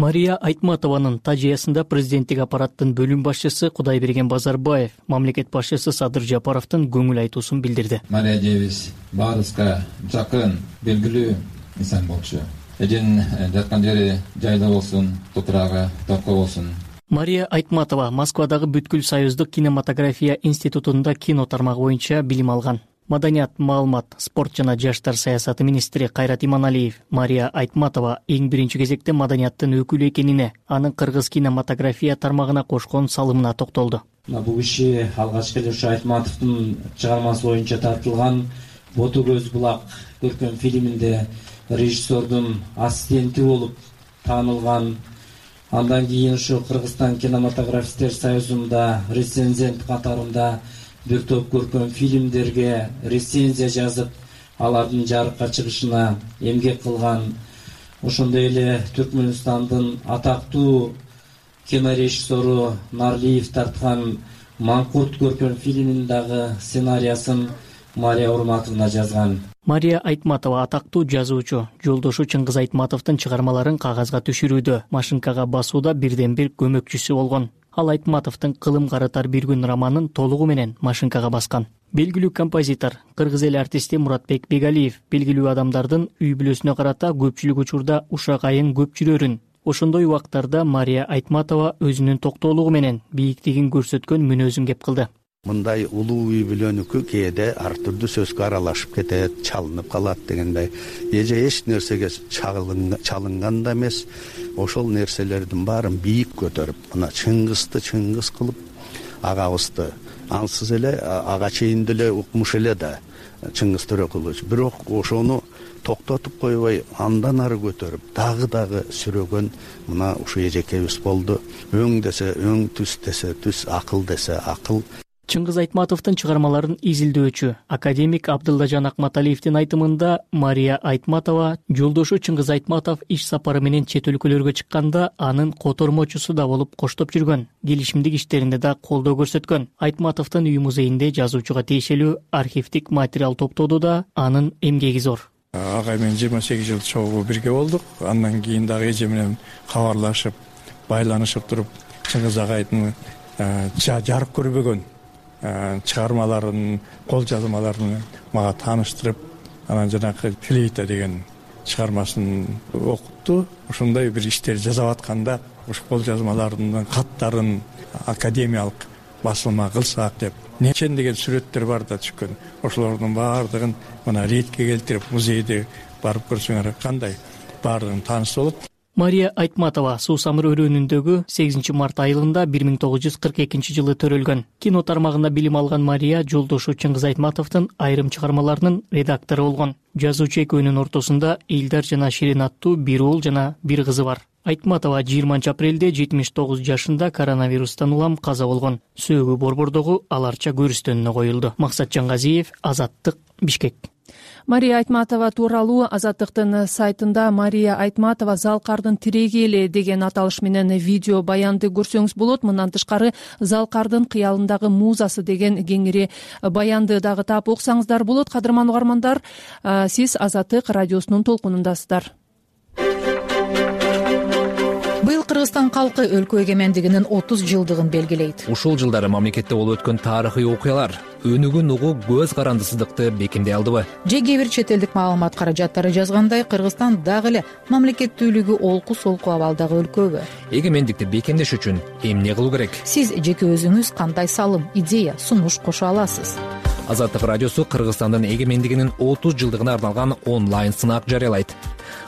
Мария Айтматованын тажыясында президенттик аппараттын бөлүм башчысы Кудайберген Базарбаев мамлекет башчысы Садыр Жапаровдун көңүл айтуусун билдирди. Мария Девис баарыбызга жакын, белгилүү инсан болчу. Эден жаткан жери жайда болсун, топурагы топко болсун. Мария Айтматова Москвадагы Бүткүл Союздук кинематография институтунда кино тармагы боюнча билим алган. Маданият, маалымат, спорт жана жаштар саясаты министри Кайрат Иманалиев Мария Айтматова эң биринчи кезекте маданияттын өкүлү экенине, анын кыргыз кинематография тармагына кошкон салымына токтолду. Бул киши алгачкы эле ушу Айтматовдун чыгармасы боюнча тартылган Боту көз булак көркөм фильминде режиссердун ассистенти болуп таанылган. Андан кийин ушу Кыргызстан кинематографисттер союзунда рецензент катарында бир топ көркөм фильмдерге рецензия жазып, алардын жарыкка чыгышына эмгек кылган. Ошондой эле Түркмөнстандын атактуу кинорежиссеру Нарлиев тарткан Маңкурт көркөм фильминин дагы сценарийsin Мария Урматовна жазган. Мария Айтматова атактуу жазуучу, жолдошу Чыңгыз Айтматовдун чыгармаларын кагазга түшүрүүдө, машинкага басууда бирден бир көмөкчүсү болгон. Ал Айтматовдун Кылым карытар бир күн романын толугу менен машинкага баскан. Белгилүү композитор, кыргыз эл артисти Муратбек Бегалиев белгилүү адамдардын үй бүлөсүнө карата көпчүлүк учурда ушак айың көп жүрөрүн. Ошондой убактарда Мария Айтматова өзүнүн токтоолугу менен бийиктигин көрсөткөн мүнөзүн кеп кылды. Мындай улуу үй бүлөнүкү кээде ар түрдүү сөзгө аралашып кетет, чалынып калат дегендей. Эже эч нерсеге чалынган да эмес. Ошол нерселердин баарын бийик көтөрүп, мына Чыңгызды Чыңгыз кылып, агабызды ансыз эле ага чейин деле укмуш эле да Чыңгыз Төрөкулович. Бирок ошону токтотуп койбой, андан ары көтөрүп, дагы сүрөгөн мына ушу эжекебиз болду. Өң десе өң, түс десе түс, акыл десе акыл. Чыңгыз Айтматовдун чыгармаларын изилдөөчү академик Абдыллажан Акматалиевдин айтымында Мария Айтматова жолдошу Чыңгыз Айтматов иш сапары менен чет өлкөлөргө чыкканда анын котормочусу да болуп коштоп жүргөн, келишимдик иштеринде да колдоо көрсөткөн. Айтматовдун үй музейинде жазуучуга тиешелүү архивдик материал топтоодо да анын эмгеги зор. Агай менен 28 жыл чогуу бирге болдук. Андан кийин дагы эже менен кабарлашып, байланышып туруп, Чыңгыз агайдын жарык көрбөгөн чыгармаларын, кол жазмаларын мага тааныштырып, анан жанагы флейта деген чыгармасын окутту. Ошондой бир иштер жасап атканда, ушу кол жазмаларынын каттарын академиялык басылма кылсак деп, нечен деген сүрөттөр бар да түшкөн. Ошолордун баардыгын мына ретке келтирип, музейде барып көрсөңөр кандай баардыгын таанышса болот. Мария Айтматова Суусамыр өрөөнүндөгү 8 март айылында 1942 жылы төрөлгөн. Кино тармагында билим алган Мария жолдошу Чыңгыз Айтматовдун айрым чыгармаларынын редактору болгон. Жазуучу экөөнүн ортосунда Илдар жана Ширин аттуу бир уул жана бир кызы бар. Айтматова 20 апрелде 79 жашында коронавирустан улам каза болгон. Сөөгү Борбордогу аларча көрүстөнүнө коюлду. Максат Жангазиев, Азаттык, Бишкек. Мария Айтматова тууралуу Азаттыктын сайтында Мария Айтматова Залкардын тиреги эле деген аталыш менен видео баянды көрсөңүз болот. Мындан тышкары Залкардын кыялындагы музасы деген кеңири баянды дагы таап окусаңыздар болот. Кадырман угармандар, сиз Азаттык радиосунун толкунундасыздар. Быйыл Кыргызстан калкы өлкө эгемендигинин 30 жылдыгын белгилейт. Ушул жылдары мамлекетте болуп өткөн тарыхый окуялар өнүгүн угуу көз карандысыздыкты бекемдей алдыбы? Же кээ бир чет элдик маалымат каражаттары жазгандай, Кыргызстан дагы эле мамлекеттүүлүгү олку-солку абалдагы өлкөбү? Эгемендикти бекемдеш үчүн эмне кылуу керек? Сиз жеке өзүңүз кандай салым, идея, сунуш кошо аласыз? Азаттык радиосу Кыргызстандын эгемендигинин 30 жылдыгына арналган онлайн сынак жарыялайт.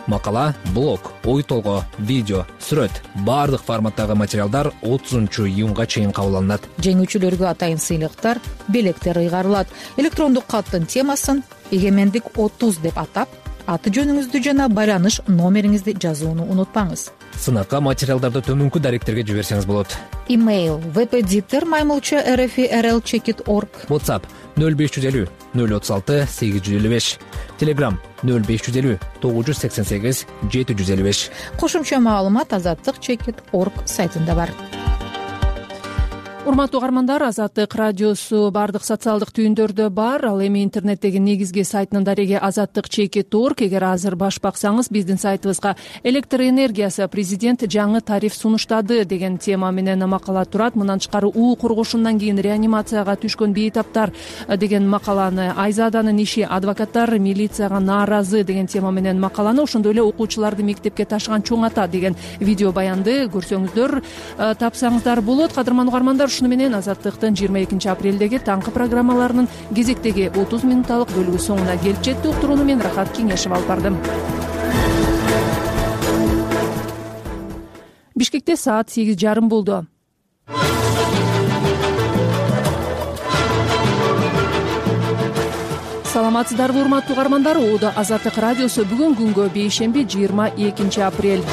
Макала, блог, ой толгоо, видео, сүрөт, баардык форматтагы материалдар 30 июнга чейин кабыл алынат. Жеңүүчүлөргө атайын сыйлыктар, белектер ыйгарылат. Электрондук каттын темасын «Эгемендик 30» деп атап, аты жөнүңүздү жана байланыш номериңизди жазууну унутпаңыз. Сынакка материалдарды төмөнкү даректерге жиберсеңиз болот. Имейл vpditter@rl.org. WhatsApp 0550 036 855. Telegram 0550 988 755. Кошумча маалымат azatlyk.org сайтында бар. Урматтуу угармандар, Азаттык радиосу бардык социалдык түйүндөрдө бар. Ал эми интернеттеги негизги сайтынын дареги azatlyk.org. Эгер азыр баш баксаңыз, биздин сайтыбызга электр энергиясы президент жаңы тариф сунуштады деген тема менен макала турат. Мындан тышкары уу кургушундан кийин реанимацияга түшкөн бейтаптар деген макаланы, Айзаданын иши, адвокаттар милицияга нааразы деген тема менен макаланы, ошондой эле окуучуларды мектепке ташыган чоң ата деген видео баянды көрсөңүздөр, тапсаңыздар болот. Кадырман угармандар, ушуну менен Азаттыктын 22 апрелдеги таңкы программаларынын кезектеги 30 минутталык бөлүгү соңуна келип жетти. Уктурууну мен Рахат Кеңешев алып бардым. Бишкекте саат 8:30 болду. Саламатсыздарбы урматтуу угармандар? Оодо Азаттык радиосу бүгүн күнгө бейшемби 22 апрель.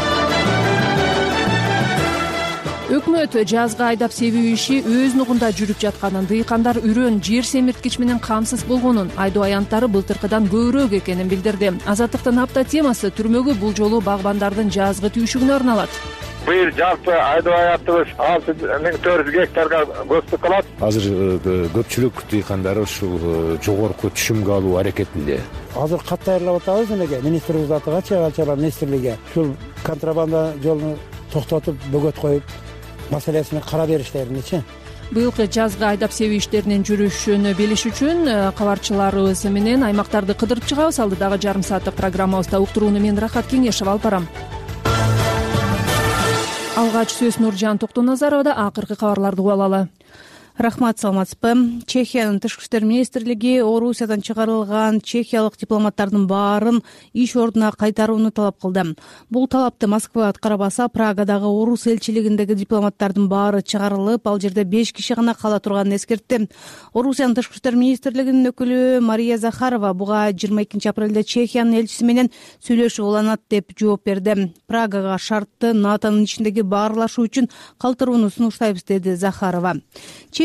Өкмөт жазга айдап себүү иши өз нугунда жүрүп жатканын, дыйкандар үрөн, жер семирткич менен камсыз болгонун, айдоо аянттары былтыркыдан көбүрөөк экенин билдирди. Азаттыктын апта темасы түрмөгө бул жолу багбандардын жазгы түйшүгүнө арналат. Быйыл жалпы айдоо аянтыбыз 6400 гектарга көстүк кылат. Азыр көпчүлүк дыйкандар ушул жогорку түшүмгө алуу аракетинде. Азыр кат даярлап атабыз энеге, министрибиз атыгачы, Алчалар министрлиги ушул контрабанда жолун токтотуп, бөгөт коюп маселесин кара бериштериничи. Быйылкы жазгы айдап себүү иштеринин жүрүшүн билиш үчүн кабарчыларыбыз менен аймактарды кыдырып чыгабыз. Алдыдагы жарым сааттык программабызда уктурууну мен Рахат Кеңешев алып барам. Алгач сөз Нуржан Токтоназаровда. Акыркы кабарларды угуп алалы. Рахмат, саламатсызбы? Чехиянын тышкы иштер министрлиги Орусиядан чыгарылган чехиялык дипломаттардын баарын иш ордуна кайтарууну талап кылды. Бул талапты Москва аткарбаса, Прагадагы орус элчилигиндеги дипломаттардын баары чыгарылып, ал жерде 5 киши гана кала турганын эскертти. Орусиянын тышкы иштер министрлигинин өкүлү Мария Захарова буга 22 апрелде Чехиянын элчиси менен сүйлөшүп уланат деп жооп берди. Прагага шартты НАТОнун ичиндеги баарлашуу үчүн калтырууну сунуштайбыз, деди Захарова.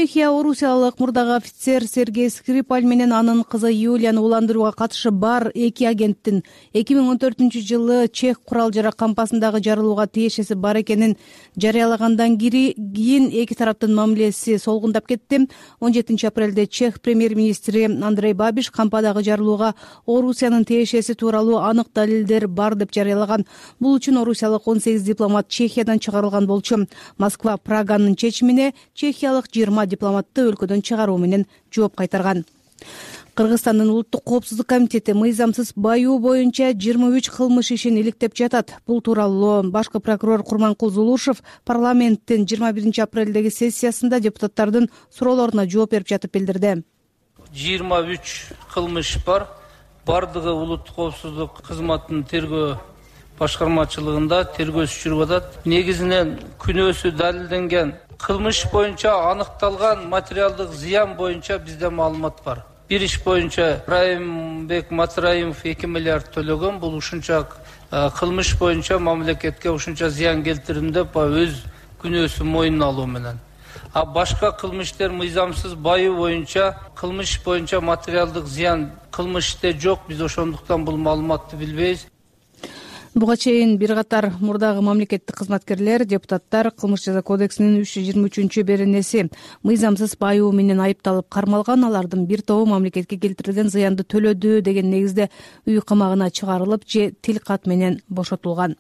Чехия орусиялык мурдагы офицер Сергей Скрипаль менен анын кызы Юлияны уландырууга катышы бар 2 агенттин 2014-жылы чех курал-жарак кампасындагы жарылууга тиешеси бар экенин жарыялагандан кийин эки тараптын мамилеси солгундап кетти. 17 апрелде чех премьер-министри Андрей Бабиш кампадагы жарылууга Орусиянын тиешеси тууралуу анык далилдер бар деп жарыялаган. Бул үчүн орусиялык 18 дипломат Чехиядан чыгарылган болчу. Москва Праганын чечимине чехиялык 20 дипломатты өлкөдөн чыгаруу менен жооп кайтарган. Кыргызстандын улуттук коопсуздук комитети мыйзамсыз баюу боюнча 23 кылмыш ишин иликтеп жатат. Бул тууралуу башкы прокурор Курманкул Зулушев парламенттин 21 апрелдеги сессиясында депутаттардын суроолоруна жооп берип жатып билдирди. 23 кылмыш бар. Бардыгы улуттук коопсуздук кызматынын тергөө башкармачылыгында тергөө жүрүп атат. Негизинен күнөөсү далилденген кылмыш боюнча аныкталган материалдык зыян боюнча бизде маалымат бар. Бир иш боюнча Райымбек Матраимов 2 миллиард төлөгөн. Бул ушунча кылмыш боюнча мамлекетке ушунча зыян келтирдим деп өз күнөөсүн мойнуна алуу менен. А башка кылмыштар мыйзамсыз баюу боюнча кылмыш боюнча материалдык зыян кылмыште жок. Биз ошондуктан бул маалыматты билбейбиз. Буга чейин бир катар мурдагы мамлекеттик кызматкерлер, депутаттар Кылмыш жаза кодексинин 323-беренеси мыйзамсыз баюу менен айыпталып кармалган. Алардын бир тобу мамлекетке келтирилген зыянды төлөдү деген негизде үй камагына чыгарылып же тил кат менен бошотулган.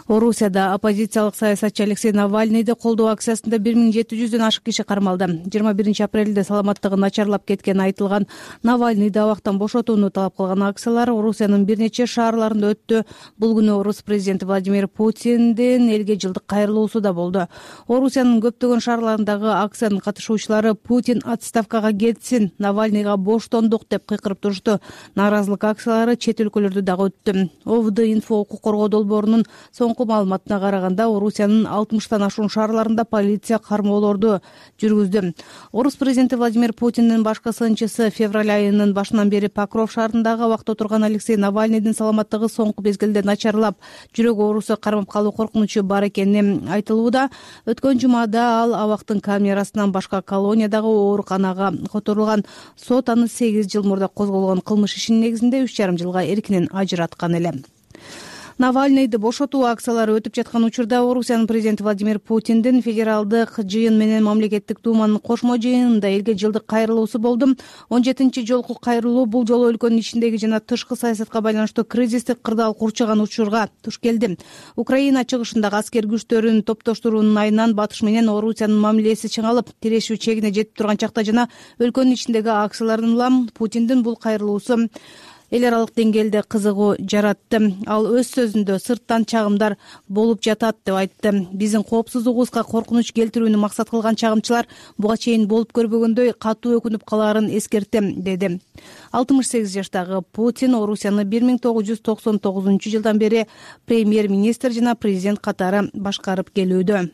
Орусияда оппозициялык саясатчы Алексей Навальныйды колдоо акциясында 1700дөн ашык киши кармалды. 21 апрелде саламаттыгы начарлап кеткени айтылган Навальныйды абактан бошотууну талап кылган акциялар Орусиянын бир нече шаарларында өттү. Бул күнү орус президенти Владимир Путиндин элге жылдык кайрылуусу да болду. Орусиянын көптөгөн шаарларындагы акциянын катышуучулары Путин отставкага кетсин, Навальныйга боштондук деп кыйкырып турушту. Нааразылык акциялары чет өлкөлөрдө дагы өттү. ОВД-Инфо укук коргоо долбоорунун соңку маалыматына караганда Орусиянын 60тан ашуун шаарларында полиция кармоолорду жүргүздү. Орус президенти Владимир Путиндин башкы сынчысы февраль айынын башынан бери Покров шаарындагы абакта отурган Алексей Навальныйдын саламаттыгы соңку мезгилде начарлап, жүрөк оорусу кармап калуу коркунучу бар экени айтылууда. Өткөн жумада ал абактын камерасынан башка колониядагы ооруканага которулган. Сот аны 8 жыл мурда козголгон кылмыш ишинин негизинде 3,5 жылга эркинен ажыраткан эле. Навальныйды бошотуу акциялары өтүп жаткан учурда Орусиянын президенти Владимир Путиндин федералдык жыйын менен мамлекеттик думанын кошмо жыйынында элге жылдык кайрылуусу болду. 17 жолку кайрылуу бул жолу өлкөнүн ичиндеги жана тышкы саясатка байланыштуу кризистик кырдаал курчаган учурга туш келди. Украина чыгышындагы аскер күчтөрүн топтоштуруунун айынан батыш менен Орусиянын мамилеси чыңалып, тирешүү чегине жетип турган чакта жана өлкөнүн ичиндеги акциялардын улам Путиндин бул кайрылуусу эл аралык деңгээлде кызыгуу жаратты. Ал өз сөзүндө сырттан чагымдар болуп жатат деп айтты. Биздин коопсуздугубузга коркунуч келтирүүнү максат кылган чагымчылар буга чейин болуп көрбөгөндөй катуу өкүнүп калаарын эскертем, деди. 68 жаштагы Путин Орусияны 1999 жылдан бери премьер-министр жана президент катары башкарып келүүдө.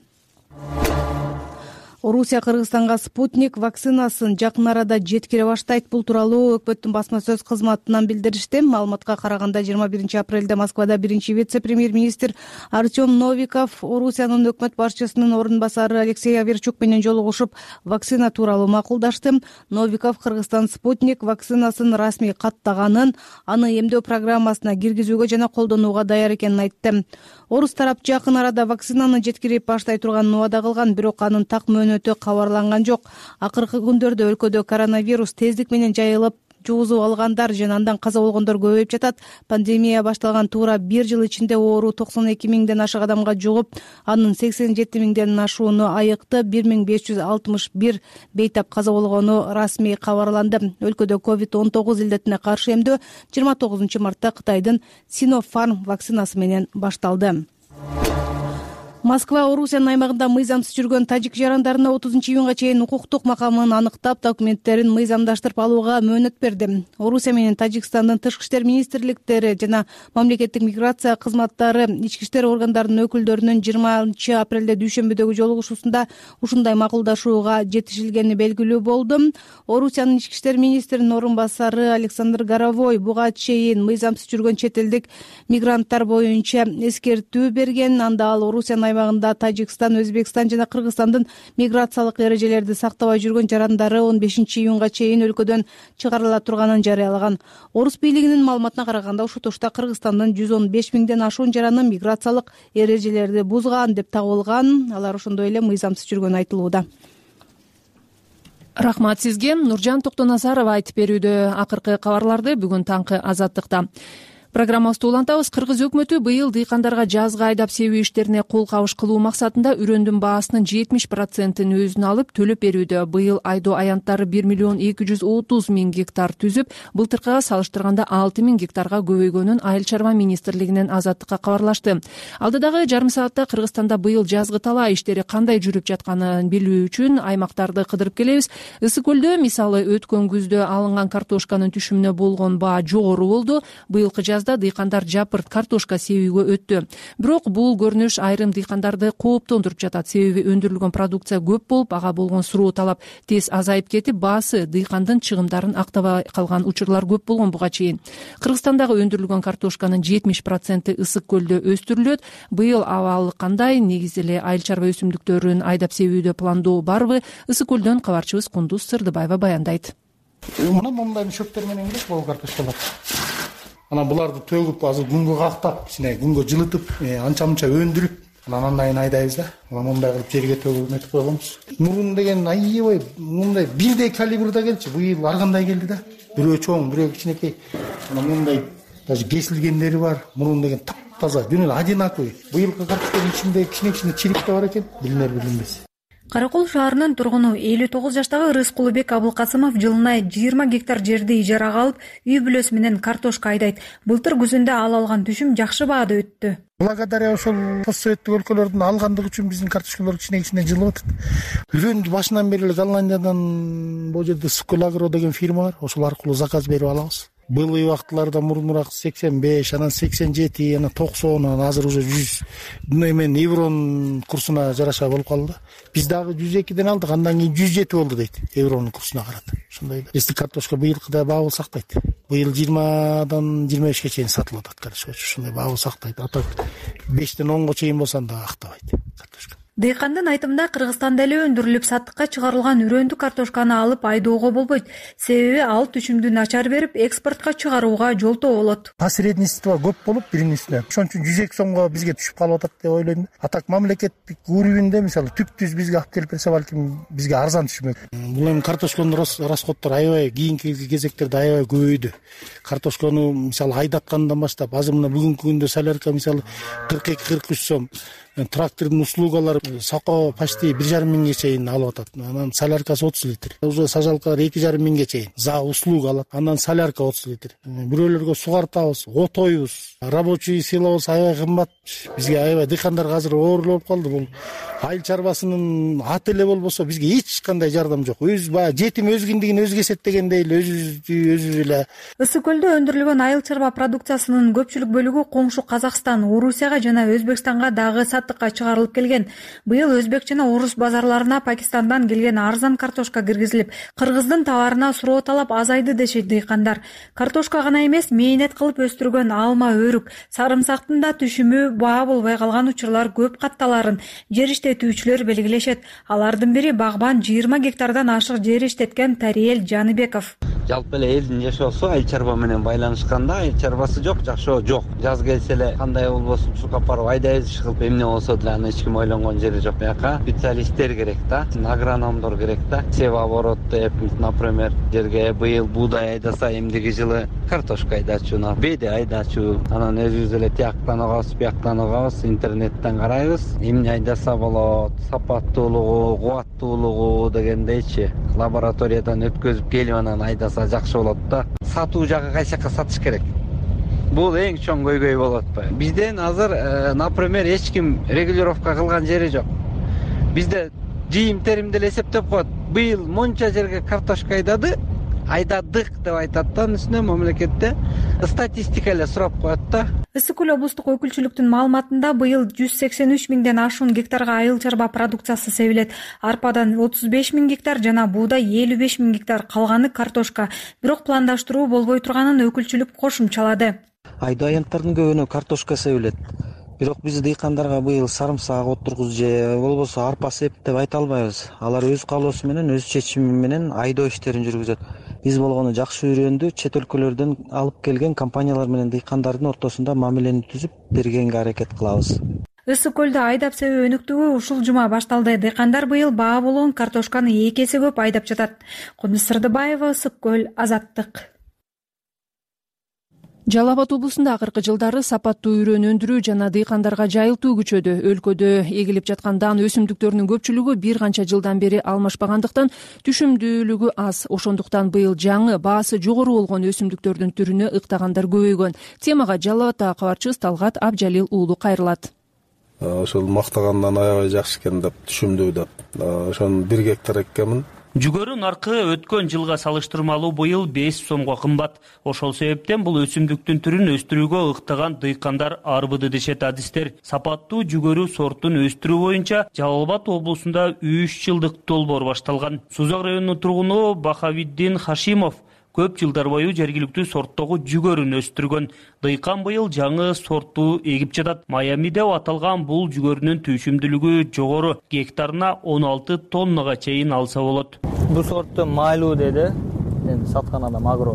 Орусия Кыргызстанга спутник вакцинасын жакын арада жеткире баштайт. Бул тууралуу өкмөттүн басма сөз кызматынан билдиришти. Маалыматка караганда 21 апрелде Москвада биринчи вице-премьер-министр Артем Новиков Орусиянын өкмөт башчысынын орун басары Алексей Аверчук менен жолугушуп, вакцина тууралуу макулдашты. Новиков Кыргызстан спутник вакцинасын расмий каттаганын, аны эмдөө программасына киргизүүгө жана колдонууга даяр экенин айтты. Орус тарап жакын арада вакцинаны жеткирип баштай турганын убада кылган, бирок анын так мөөнөтү кабарланган жок. Акыркы күндөрдө өлкөдө коронавирус тездик менен жайылып, жугузуп алгандар жана андан каза болгондор көбөйүп жатат. Пандемия башталган туура 1 жыл ичинде оору 92 миңден ашык адамга жугуп, анын 87 миңден ашууну айыкты, 1561 бейтап каза болгону расмий кабарланды. Өлкөдө COVID-19 илдетине каршы эмдөө 29 мартта Кытайдын Sinopharm вакцинасы менен башталды. Москва Орусиянын аймагында мыйзамсыз жүргөн тажик жарандарына 30-июнга чейин укуктук макамын аныктап, документтерин мыйзамдаштырып алууга мөөнөт берди. Орусия менен Тажикстандын тышкы иштер министрликтери жана мамлекеттик миграция кызматтары ички иштер органдарынын өкүлдөрүнүн 20 апрелде дүйшөмбүдөгү жолугушуусунда ушундай макулдашууга жетишилгени белгилүү болду. Орусиянын ички иштер министринин орун басары Александр Горовой буга чейин мыйзамсыз жүргөн чет элдик мигранттар боюнча эскертүү берген. Анда ал Орусиянын аймагында Тажикстан, Өзбекстан жана Кыргызстандын миграциялык эрежелерди сактабай жүргөн жарандары 15-июнга чейин өлкөдөн чыгарыла турганын жарыялаган. Орус бийлигинин маалыматына караганда, ушул тушта Кыргызстандын 115 миңден ашуун жараны миграциялык эрежелерди бузган деп табылган. Алар ошондой эле мыйзамсыз жүргөнү айтылууда. Рахмат сизге. Нуржан Токтоназарова айтып берүүдө. Акыркы кабарларды бүгүн таңкы Азаттыкта. Программабызды улантабыз. Кыргыз өкмөтү быйыл дыйкандарга жазгы айдап себүү иштерине кол кабыш кылуу максатында үрөндүн баасынын 70%-ын өзүнө алып төлөп берүүдө. Быйыл айдоо аянттары 1,230,000 гектар түзүп, былтыркыга салыштырганда 6,000 гектарга көбөйгөнүн Айыл чарба министрлигинен Азаттыкка кабарлашты. Алдыдагы жарым саатта Кыргызстанда быйыл жазгы талаа иштери кандай жүрүп жатканын билүү үчүн аймактарды кыдырып келебиз. Ысык көлдө мисалы өткөн күздө алынган картошканын түшүмүнө болгон баа жогору болду. Быйылкы дыйкандар жапырт картошка себүүгө өттү. Бирок бул көрүнүш айрым дыйкандарды кооптондуруп жатат. Себеби өндүрүлгөн продукция көп болуп, ага болгон суроо талап тез азайып кетип, баасы дыйкандын чыгымдарын актабай калган учурлар көп болгон буга чейин. Кыргызстандагы өндүрүлгөн картошканын 70% ысык көлдө өстүрүлөт. Быйыл абалы кандай? Негизи эле айыл чарба өсүмдүктөрүн айдап себүүдө пландоо барбы? Ысык көлдөн кабарчыбыз Кундуз Сырдыбаева баяндайт. Мына мындай шөптөр менен келет бул картошкалар. Анан буларды төгүп, азыр күнгө кактап, ичине күнгө жылытып, анча-мынча өндүрүп, анан айын айдайбыз да. Мындай кылып жерге төгүп өтүп койгонбуз. Мурун деген аябай мындай бирдей калибрда келчү. Быйыл ар кандай келди да. Бирөө чоң, бирөө кичинекей. Анан мындай даже кесилгендери бар. Мурун деген таптаза, жөн эле одинаковый. Быйылкы картоштун ичинде кичине чириктер бар экен, билинер-билинбес. Каракол шаарынын тургуну 59 жаштагы Рыскулбек Абылкасымов жылына 20 гектар жерди ижарага алып, үй бүлөсү менен картошка айдайт. Былтыр күзүндө ал алган түшүм жакшы баада өттү. Благодаря ошол постсоветтик өлкөлөрдүн алгандыгы үчүн биздин картошкалар кичине жылып атат. Үрөндү башынан бери эле Голландиядан бул жерде Скулагро деген фирма бар. Ошол аркылуу заказ берип алабыз. былый убактыларда мурунураак 85, анан 87, анан 90, анан азыр уже 100 эмен евронун курсуна жараша болуп калды. Биз дагы 102ден алдык, андан кийин 107 болду дейт евронун курсуна карата. Ошондой да. Если картошка быйылкыдай баа сактайт. Быйыл 20дан 25ке чейин сатылып атат картошка. Ошондой баа сактайт. Атак 5ден 10го чейин болсо да актабайт картошка. Дыйкандын айтымында Кыргызстанда эле өндүрүлүп саттыкка чыгарылган үрөндү картошканы алып айдоого болбойт. Себеби ал түшүмдү начар берип, экспортко чыгарууга жолтоо болот. Посредничество көп болуп биринин үстүнө. Ошон үчүн 102 сомго бизге түшүп калып атат деп ойлойм. Атак мамлекеттик уровеньде мисалы түп-түз бизге алып келип берсе балким бизге арзан түшмөк. Бул эми картошконун расходдору аябай кийинки кезектерде аябай көбөйдү. Картошкону мисалы айдаткандан баштап азыр мына бүгүнкү күндө солярка мисалы 42-43 сом. Трактордун услугалары сако почти 1,5 миңге чейин алып атат. Анан соляркасы 30 литр. Уже сажалкалар 2,5 миңге чейин за услуга алат. Андан солярка 30 литр. Бирөөлөргө сугартабыз, отойбуз, рабочий силабыз аябай кымбат. Бизге аябай дыйкандарга азыр оор болуп калды. Бул айыл чарбасынын аты эле болбосо бизге эч кандай жардам жок. Өз баягы жетим өз киндигин өзгө эсептегендей эле өзүбүз эле. Ысык көлдө өндүрүлгөн айыл чарба продукциясынын көпчүлүк бөлүгү коңшу Казакстан, Орусияга жана Өзбекстанга дагы саттыкка чыгарылып келген. Быйыл өзбек жана орус базарларына Пакистандан келген арзан картошка киргизилип, Кыргыздын товарына суроо талап азайды дешет дыйкандар. Картошка гана эмес, мээнет кылып өстүргөн алма, өрүк, сарымсактын да түшүмү баа болбой калган учурлар көп катталарын жер иштетүүчүлөр белгилешет. Алардын бири багбан 20 гектардан ашык жер иштеткен Тариел Жаныбеков. Жалпы эле элдин жашоосу айыл чарба менен байланышканда, айыл чарбасы жок, жашоо жок. Жаз келсе эле кандай болбосун чуркап барып айдайбыз, чыгып эмне болсо деле аны эч ким ойлонгон жери жок. Бияка специалисттер керек да, агрономдор керек да. Себооборот деп, например, жерге быйыл буудай айдаса, эмдиги жылы картошка айдачу, беде айдачу. Анан өзүбүз эле тияктан угабыз, бияктан угабыз, интернеттен карайбыз. Эмне айдаса болот, сапаттуулугу, кубаттуулугу дегендейчи. Лабораториядан өткөзүп келип анан айдаса жакшы болот да. Сатуу жагы кайсы жакка сатыш керек. Бул эң чоң көйгөй болуп атпайбы? Бизден азыр, например, эч ким регулировка кылган жери жок. Бизде жыйым терим деле эсептеп коет. Быйыл монча жерге картошка айдадык деп айтат да, үстүнө мамлекетте статистика эле сурап коет да. Ысык көл облустук өкүлчүлүктүн маалыматында быйыл 183 миңден ашуун гектарга айыл чарба продукциясы себилет. Арпадан 35 миң гектар жана буудай 55 миң гектар, калганы картошка. Бирок пландаштыруу болбой турганын өкүлчүлүк кошумчалады. Айдоо аянттардын көбүнө картошка себилет. Бирок биз дыйкандарга быйыл сарымсак отургуз же болбосо арпа сеп деп айта албайбыз. Алар өз каалоосу менен, өз чечими менен айдоо иштерин жүргүзөт. Биз болгону жакшы үрөндү чет өлкөлөрдөн алып келген компаниялар менен дыйкандардын ортосунда мамилени түзүп бергенге аракет кылабыз. Ысык көлдө айдап себүү өнүктүгү ушул жума башталды. Дыйкандар быйыл баа болгон картошканы 2 эсе көп айдап жатат. Кудус Сырдыбаева, Ысык көл, Азаттык. Жалал Абад облусунда акыркы жылдары сапаттуу үрөн өндүрүү жана дыйкандарга жайылтуу күчөдү. Өлкөдө эгилип жаткан дан өсүмдүктөрүнүн көпчүлүгү бир канча жылдан бери алмашпагандыктан түшүмдүүлүгү аз. Ошондуктан быйыл жаңы баасы жогору болгон өсүмдүктөрдүн түрүнө ыктагандар көбөйгөн. Темага Жалал Абадтагы кабарчыбыз Талгат Абжалил уулу кайрылат. Ошол мактагандан аябай жакшы экен деп, түшүмдүү деп. Ошону 1 гектар эккенмин. Жүгөрү наркы өткөн жылга салыштырмалуу быйыл 5 сомго кымбат. Ошол себептен бул өсүмдүктүн түрүн өстүрүүгө ыктаган дыйкандар арбыды дешет адистер. Сапаттуу жүгөрү сортун өстүрүү боюнча Жалал Абад облусунда 3 жылдык долбоор башталган. Сузак районунун тургуну Бахавиддин Хашимов көп жылдар бою жергиликтүү сорттогу жүгөрүн өстүргөн. Дыйкан быйыл жаңы сортту эгип жатат. Майами деп аталган бул жүгөрүнүн түшүмдүүлүгү жогору, гектарына 16 тоннага чейин алса болот. Бул сортту майлуу деди, мен саткан адам агро.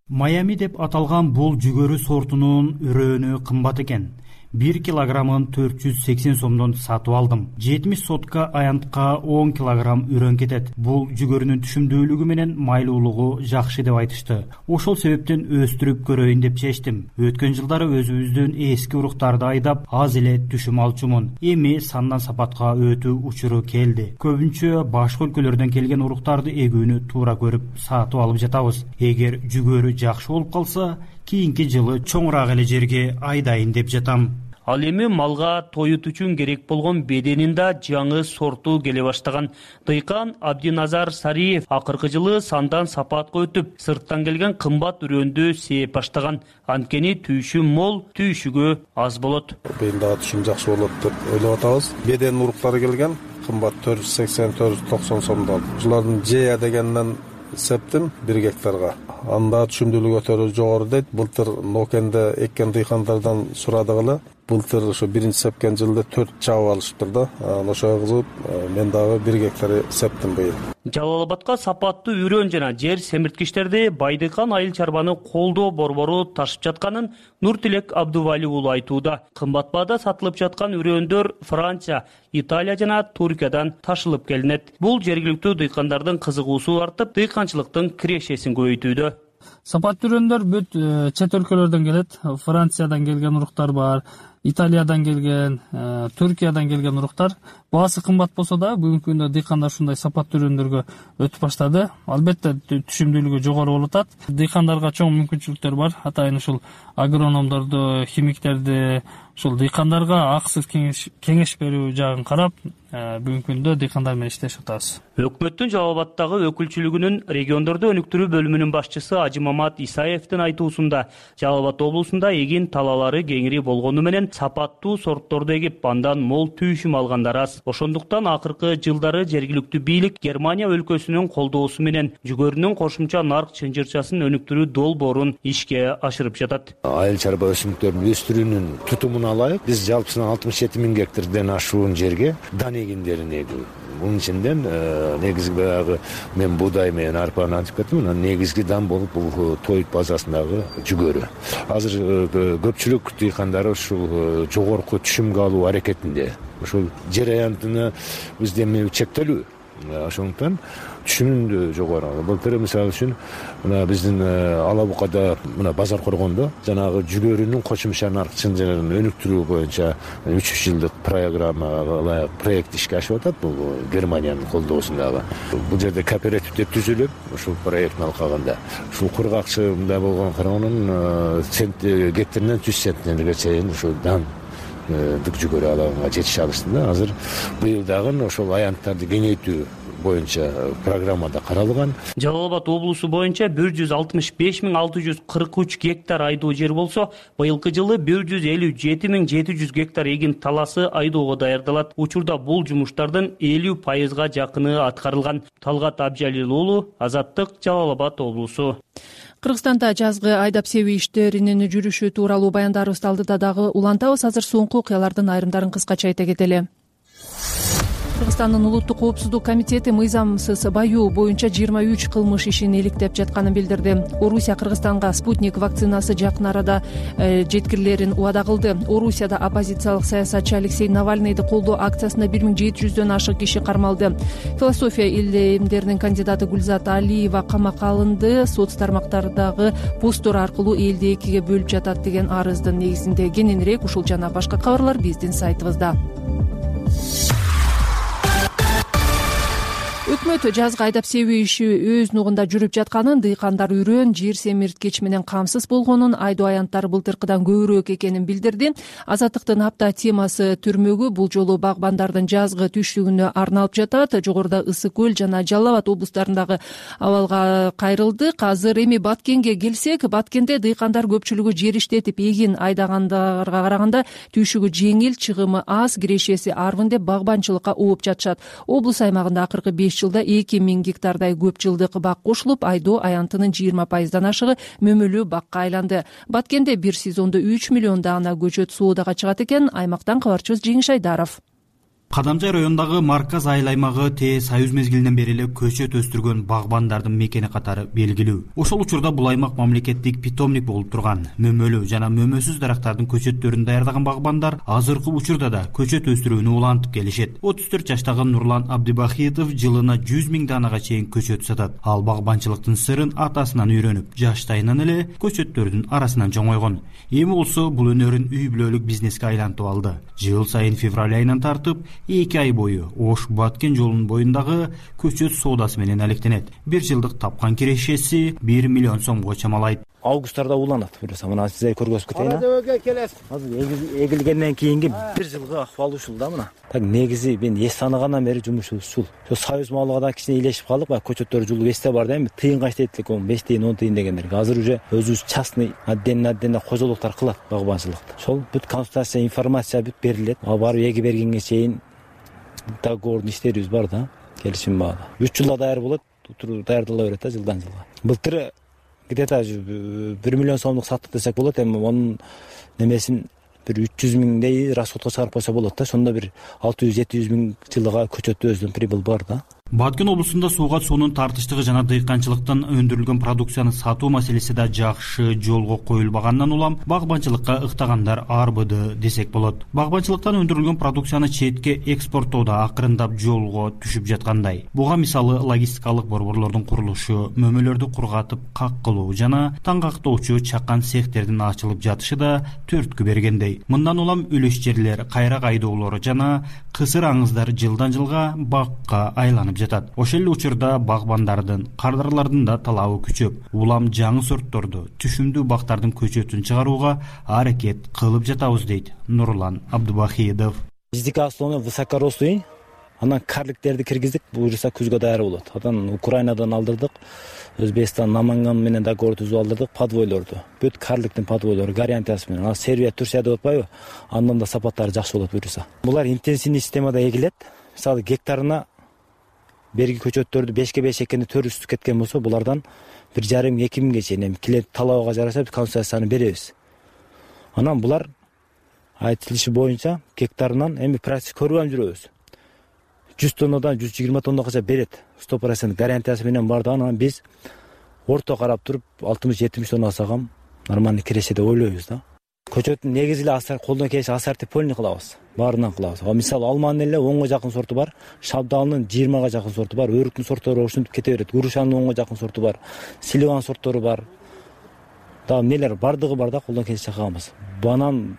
Майами деп аталган бул жүгөрү сортунун үрөөнү кымбат экен. 1 килограммын 480 сомдон сатып алдым. 70 сотка аянтка 10 килограмм үрөн кетет. Бул жүгөрүнүн түшүмдүүлүгү менен майлуулугу жакшы деп айтышты. Ошол себептен өстүрүп көрөйүн деп чечтим. Өткөн жылдары өзүбүздүн эски уруктарды айдап, аз эле түшүм алчумун. Эми сандан сапатка өтүү учуру келди. Көбүнчө башка өлкөлөрдөн келген уруктарды эгүүнү туура көрүп сатып алып жатабыз. Эгер жүгөрү жакшы болуп калса, кийинки жылы чоңураак эле жерге айдайын деп жатам. Ал эми малга тоют үчүн керек болгон беденин да жаңы сорту келе баштаган. Дыйкан Абдиназар Сариев акыркы жылы сандан сапатка өтүп, сырттан келген кымбат үрөндү сээп баштаган. Анткени түйшү мол, түйшүгө аз болот. Быйыл дагы түшүм жакшы болот деп ойлоп атабыз. Беден уруктары келген, кымбат 480-490 сомдон. Ушулардын жея дегенден септим 1 гектарга. Анда түшүмдүүлүк өтө жогору дейт. Былтыр Нокенде эккен дыйкандардан сурадыгы. Былтыр ошо 1-сепкен жылда 4 чабып алышыптыр да. Ошого кызып мен дагы 1 гектар септим быйыл. Жалал Абадка сапаттуу үрөн жана жер семирткичтерди Байдыкан айыл чарбаны колдоо борбору ташып жатканын Нуртилек Абдували уулу айтууда. Кымбат баада сатылып жаткан үрөндөр Франция, Италия жана Туркиядан ташылып келинет. Бул жергиликтүү дыйкандардын кызыгуусу артып, дыйканчылыктын кирешесин көбөйтүүдө. Сапаттуу үрөндөр бүт чет өлкөлөрдөн келет. Франциядан келген уруктар бар, Италиядан келген, Түркиядан келген уруктар. Баасы кымбат болсо да, бүгүнкү күндө дыйкандар ушундай сапаттуу үрөндөргө өтүп баштады. Албетте түшүмдүүлүгү жогору болуп атат. Дыйкандарга чоң мүмкүнчүлүктөр бар. Атайын ушул агрономдорду, химиктерди, ушул дыйкандарга акысыз кеңеш берүү жагын карап, бүгүнкү күндө дыйкандар менен иштешип атабыз. Өкмөттүн Жалал Абадтагы өкүлчүлүгүнүн региондорду өнүктүрүү бөлүмүнүн башчысы Ажымамат Исаевдин айтуусунда, Жалал Абад облусунда эгин талаалары кеңири болгону менен сапаттуу сортторду эгип, андан мол түйшүм алгандар аз. Ошондуктан акыркы жылдары жергиликтүү бийлик Германия өлкөсүнүн колдоосу менен жүгөрүнүн кошумча нарк чынжырчасын өнүктүрүү долбоорун ишке ашырып жатат. Айыл чарба өсүмдүктөрүн өстүрүүнүн тутумун алайык. Биз жалпысынан 67 000 гектардан ашуун жерге дан эгиндерин эгүү. Bunun içinden negizgi баягы мен буудай менен арпаны антип кеттим. Анан негизги дан болуп бул тоют базасындагы жүгөрү. Азыр көпчүлүк дыйкандар ушул жогорку түшүмгө алуу аракетинде. Ушул жер аянтыны бизде эми чектелүү. Ошондуктан түшүмдү жогору. Былтыр мисалы үчүн мына биздин Алабукада мына базар коргондо жанагы жүгөрүнүн кошумча нарк чынжырын өнүктүрүү боюнча 3 жылдык программа, проект ишке ашып атат. Бул Германиянын колдоосундагы. Бул жерде кооперативдер түзүлүп, ушул проекттин алкагында ушул кургакчында болгон кароонун гектарынан 100 центнерге чейин ушул дан дык жүгөрү алганга жетише алышты да. Азыр быйыл дагы ошол аянттарды кеңейтүү боюнча программада каралган. Жалал Абад облусу боюнча 165 643 гектар айдоо жер болсо, быйылкы жылы 157 700 гектар эгин таласы айдоого даярдалат. Учурда бул жумуштардын 50%га жакыны аткарылган. Талгат Абжалил уулу, Азаттык, Жалал Абад облусу. Кыргызстанда жазгы айдап себүү иштеринин жүрүшү тууралуу баяндарыбызды алдыда дагы улантабыз. Азыр соңку окуялардын айрымдарын кыскача айта кетели. Кыргызстандын улуттук коопсуздук комитети мыйзамсыз баюу боюнча 23 кылмыш ишин иликтеп жатканын билдирди. Орусия Кыргызстанга спутник вакцинасы жакын арада жеткирилерин убада кылды. Орусияда оппозициялык саясатчы Алексей Навальныйды колдоо акциясында 1700дөн ашык киши кармалды. Философия илимдеринин кандидаты Гүлзат Алиева камакка алынды. Соц тармактардагы посттор аркылуу элди экиге бөлүп жатат деген арыздын негизинде. Кененирээк ушул жана башка кабарлар биздин сайтыбызда. Өкмөт жазгы айдап себүү иши өз нугунда жүрүп жатканын, дыйкандар үрөн, жер семирткич менен камсыз болгонун, айдоо аянттары былтыркыдан көбүрөөк экенин билдирди. Азаттыктын апта темасы түрмөгү бул жолу багбандардын жазгы түштүгүнө арналып жатат. Жогоруда Ысык көл жана Жалал Абад облустарындагы абалга кайрылдык. Азыр эми Баткенге келсек, Баткенде дыйкандар көпчүлүгү жер иштетип эгин айдагандарга караганда түйшүгү жеңил, чыгымы аз, кирешеси арбын деп багбанчылыкка ооп жатышат. Облус аймагында акыркы 5 жылда 2000 гектардай көп жылдык бак кошулуп, айдоо аянтынын 20%дан ашыгы мөмөлүү бакка айланды. Баткенде бир сезондо 3 миллион даана көчөт соодага чыгат экен. Аймактан кабарчыбыз Жеңиш Айдаров. Кадамжай районундагы Марказ айыл аймагы Союз мезгилинен бери эле көчөт өстүргөн багбандардын мекени катары белгилүү. Ошол учурда бул аймак мамлекеттик питомник болуп турган. Мөмөлүү жана мөмөсүз дарактардын көчөттөрүн даярдаган багбандар азыркы учурда да көчөт өстүрүүнү улантып келишет. 34 жаштагы Нурлан Абдибахитов жылына 100 000 даанага чейин көчөт сатат. Ал багбанчылыктын сырын атасынан үйрөнүп, жаштайынан эле көчөттөрдүн арасынан жоңойгон. Эми болсо бул өнөрүн үй бүлөлүк бизнеске айлантып алды. Жыл сайын февраль айынан тартып 2 ай бою Ош Баткен жолунун боюндагы көчөт соодасы менен алектенет. Бир жылдык тапкан кирешеси 1 миллион сомго чамалайт. августарда уланат. Буюрса мына сиздер көргөзүп кетейин. Азыр эгилгенден кийинки бир жылгы акыбал ушул да мына. Так негизи мен эс тааныгандан бери жумуш ушул. Ошо союз малыга да кичине илешип калдык. Баягы көчөттөр жулуп эсте бар да, эми тыйынга иштейт элек, 5 тыйын, 10 тыйын дегендер. Азыр уже өзүбүз частный отдельно кожолуктар кылат багбанчылыкты. Ошол бүт консультация, информация бүт берилет. Барып эги бергенге чейин договордун иштерибиз бар да, келишим бар. 3 жылда даяр болот, даярдала берет да жылдан жылга. Былтыр где-то 1 миллион сомдук саттык десек болот, эми онун немесин бир 300 миңдей расходко чыгарып койсо болот да. Ошондо бир 600-700 миң жылга көчөттө өзүнүн прибыль бар да. Баткен облусунда сууга суунун тартыштыгы жана дыйканчылыктан өндүрүлгөн продукцияны сатуу маселеси да жакшы жолго коюлбагандан улам багбанчылыкка ыктагандар арбыды десек болот. Багбанчылыктан өндүрүлгөн продукцияны четке экспорттоодо акырындап жолго түшүп жаткандай. Буга мисалы логистикалык борборлордун курулушу, мөмөлөрдү кургатып как кылуу жана таңгактоочу чакан цехтердин ачылып жатышы да төрткү бергендей. Мындан улам үлүш жерлер, кайрак айдоолор жана кысыр аңыздар жылдан жылга бакка айланып жатат. Ошол эле учурда багбандардын, кардарлардын да талабы күчөп, улам жаңы сортторду, түшүмдүү бактардын көчөтүн чыгарууга аракет кылып жатабыз дейт Нурлан Абдубахидов. Биздики основной высокорослый, анан карликтерди киргиздик, буюрса күзгө даяр болот. Анан Украинадан алдырдык, Өзбекстан, Наманган менен договор түзүп алдырдык подвойлорду. Бүт карликтин подвойлору гарантиясы менен. Анан Сербия, Турция деп атпайбы? Андан да сапаттары жакшы болот буюрса. Булар интенсивный системада эгилет. Мисалы гектарына берги көчөттөрдү 5/5 экени төрүстүп кеткен болсо, булардан 1,5-2 миңге чейин клиент талабыга жараша консультацияны беребиз. Анан булар айтылышы боюнча гектарынан эми практик көрүп жүрөбүз. 100 тоннадан 120 тоннага берет. 100% гарантиясы менен бар да, анан биз орто карап туруп 60-70 тонна алсагам нормальный киреше деп ойлойбуз да. Көчөттүн негизи эле асар колдон келиши ассортиполный кылабыз. Баарынан кылабыз. Мисалы алманын эле 10го жакын сорту бар, шабдалынын 20га жакын сорту бар, өрүктүн сорттору ушинтип кете берет. Грушанын 10го жакын сорту бар, сливан сорттору бар. Да эмнелер бардыгы бар да, колдон келиши кылабыз. Банан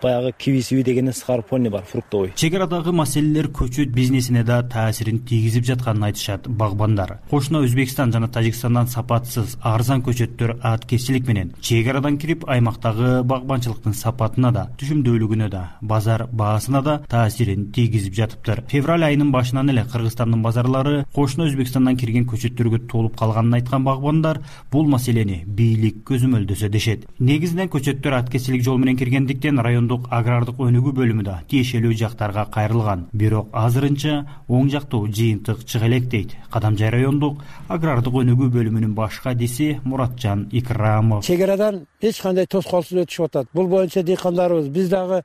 баягы киви дегенен скарпоний бар, фруктовый. Чек арадагы маселелер көчөт бизнесине да таасирин тийгизип жатканын айтышат багбандар. Кошуна Өзбекстан жана Тажикстандан сапатсыз, арзан көчөттөр аткезчилик менен чек арадан кирип аймактагы багбанчылыктын сапатына да, түшүмдүүлүгүнө да, базар баасына да таасирин тийгизип жатыптыр. Февраль айынын башынан эле Кыргызстандын базарлары кошуна Өзбекстандан кирген көчөттөргө толуп калганын айткан багбандар бул маселени бийлик көзөмөлдөсө дешет. Негизинен көчөттөр аткезчилик жол менен киргендиктен райондук агрардык өнүгүү бөлүмү да тиешелүү жактарга кайрылган. Бирок азырынча оң жактуу жыйынтык чыга элек дейт Кадамжай райондук агрардык өнүгүү бөлүмүнүн баш кадиси Муратжан Икрамов. Чек арадан эч кандай тоскоолсуз өтүшүп атат. Бул боюнча дыйкандарыбыз биз дагы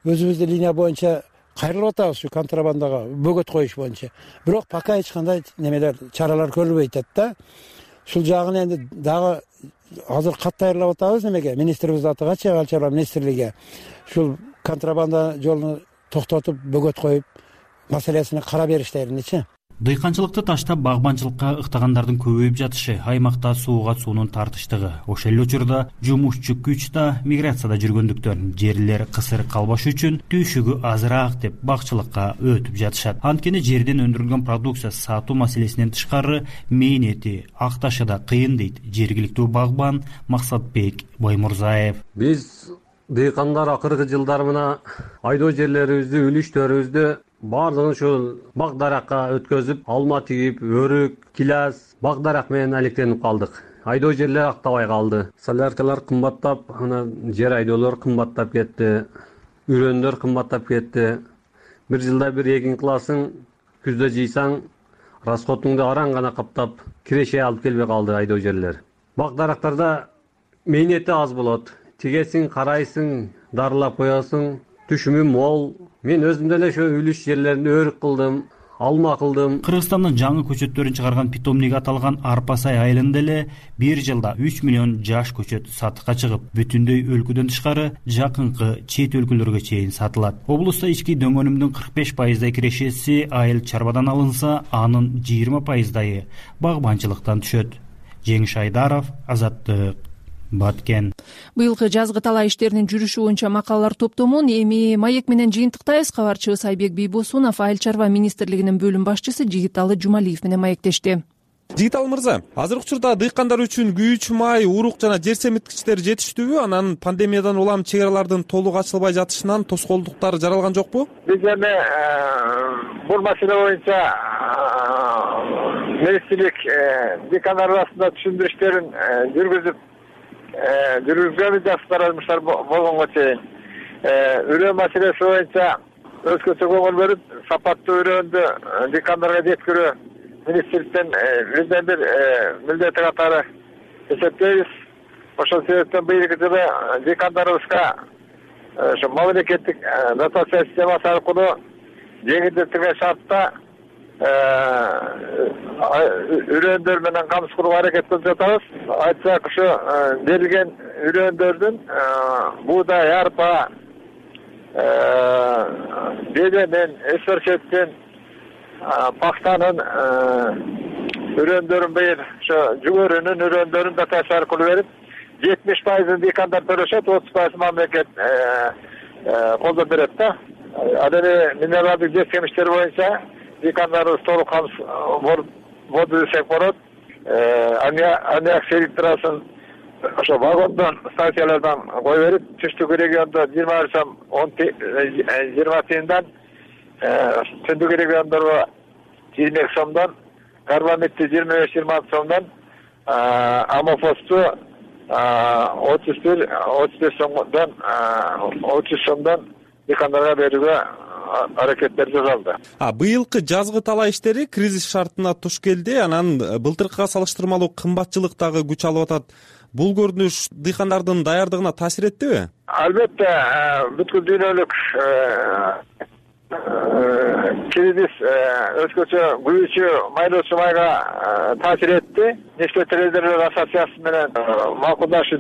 өзүбүздүн линия боюнча кайрылып атабыз ушу контрабандага бөгөт коюш боюнча. Бирок пока эч кандай немелер, чаралар көрүлбөй атат да. Ушул жагын энди дагы азыр кат даярдап атабыз немеге, министрибиз атыга, чек чарба министрлиги ушул контрабанда жолун токтотуп, бөгөт коюп, маселесине карап бериштериничи. Дыйканчылыкты таштап багбанчылыкка ыктагандардын көбөйүп жатышы, аймакта сууга суунун тартыштыгы, ошол эле учурда жумушчу күч да миграцияда жүргөндүктөн жерлер кысыр калбаш үчүн түйшүгү азыраак деп бакчылыкка өтүп жатышат. Анткени жерден өндүрүлгөн продукция сатуу маселесинен тышкары мээниети, акташы да кыйын дейт жергиликтүү багбан Максатбек Баймурзаев. Биз дыйкандар акыркы жылдары мына айдоо жерлерибизди, үлүштөрүбүздү баардыгын ушул бак даракка өткөзүп, алма тигип, өрүк, килаз, бак дарак менен алектенип калдык. Айдоо жерлер актабай калды. Соляркалар кымбаттап, ана жер айдоолор кымбаттап кетти, үрөндөр кымбаттап кетти. Бир жылда бир эгин кыласың, күздө жыйсаң, расходуңду араң гана каптап, киреше алып келбей калды айдоо жерлер. Бак дарактарда мээниети аз болот. Тигесиң, карайсың, дарылап коесуң, түшүмү мол. Мен өзүм деле ошо үлүш жерлеринде өрүк кылдым, алма кылдым. Кыргызстандын жаңы көчөттөрүн чыгарган питомник аталган Арпасай айылында эле бир жылда 3 миллион жаш көчөт сатыкка чыгып, бүтүндөй өлкөдөн тышкары жакынкы чет өлкөлөргө чейин сатылат. Облуста ички дөңгөнүмдүн 45% кирешеси айыл чарбадан алынса, анын 20% багбанчылыктан түшөт. Жеңиш Айдаров, Азаттык, Баткен. Быйылкы жазгы талаа иштеринин жүрүшү боюнча макалалар топтомун эми маек менен жыйынтыктайбыз. Кабарчыбыз Айбек Бийбосунов айыл чарба министрлигинин бөлүм башчысы Жигиталы Жумалиев менен маектешти. Жигиталы мырза, азыркы учурда дыйкандар үчүн күйүүчү май, урук жана жер семирткичтер жетиштүүбү? Анан пандемиядан улам чек аралардын толук ачылбай жатышынан тоскоолдуктар жаралган жокпу? Биз эми бул маселе боюнча министрлик дыйкандар арасында түшүндүрүштөрүн жүргүзгөнбүз, жакшы таратмыштар болгонго чейин. Үрөө маселеси боюнча өзгөчө көңүл бөлүп, сапаттуу үрөөндү дыйкандарга жеткирүү министрликтен бизден бир милдети катары эсептейбиз. Ошол себептен быйылкы жылы дыйкандарыбызга ошо мамлекеттик дотация системасы аркылуу жеңилдетилген шартта үрөөндөр менен камсыз кылууга аракет кылып жатабыз. Айтсак, ушу берилген үрөөндөрдүн буудай, арпа, беденин, эсперчеттин, пахтанын үрөөндөрүн быйыл ошо жүгөрүнүн үрөөндөрүн дотация аркылуу берип, 70% дыйкандар төлөшөт, 30% мамлекет колдоп берет да. Ал эми минералдык жер семиштер боюнча дыйкандарыбыз толук камсыз болду десек болот. Аммиак селектрасын ошо вагондон, станциялардан кое берип, түштүк региондо 20 сом 20 тыйындан, түндүк региондорго 22 сомдон, карбамидти 25-26 сомдон, амофосту 35 сомдон, 30 сомдон дыйкандарга берүүгө аракеттер жасалды. Быйылкы жазгы талаа иштери кризис шартына туш келди. Анан былтыркыга салыштырмалуу кымбатчылык дагы күч алып атат. Бул көрүнүш дыйкандардын даярдыгына таасир эттиби? Албетте, бүткүл дүйнөлүк кризис өзгөчө күйүүчү майлоочу майга таасир этти. Нефть трейдерлер ассоциациясы менен макулдашуу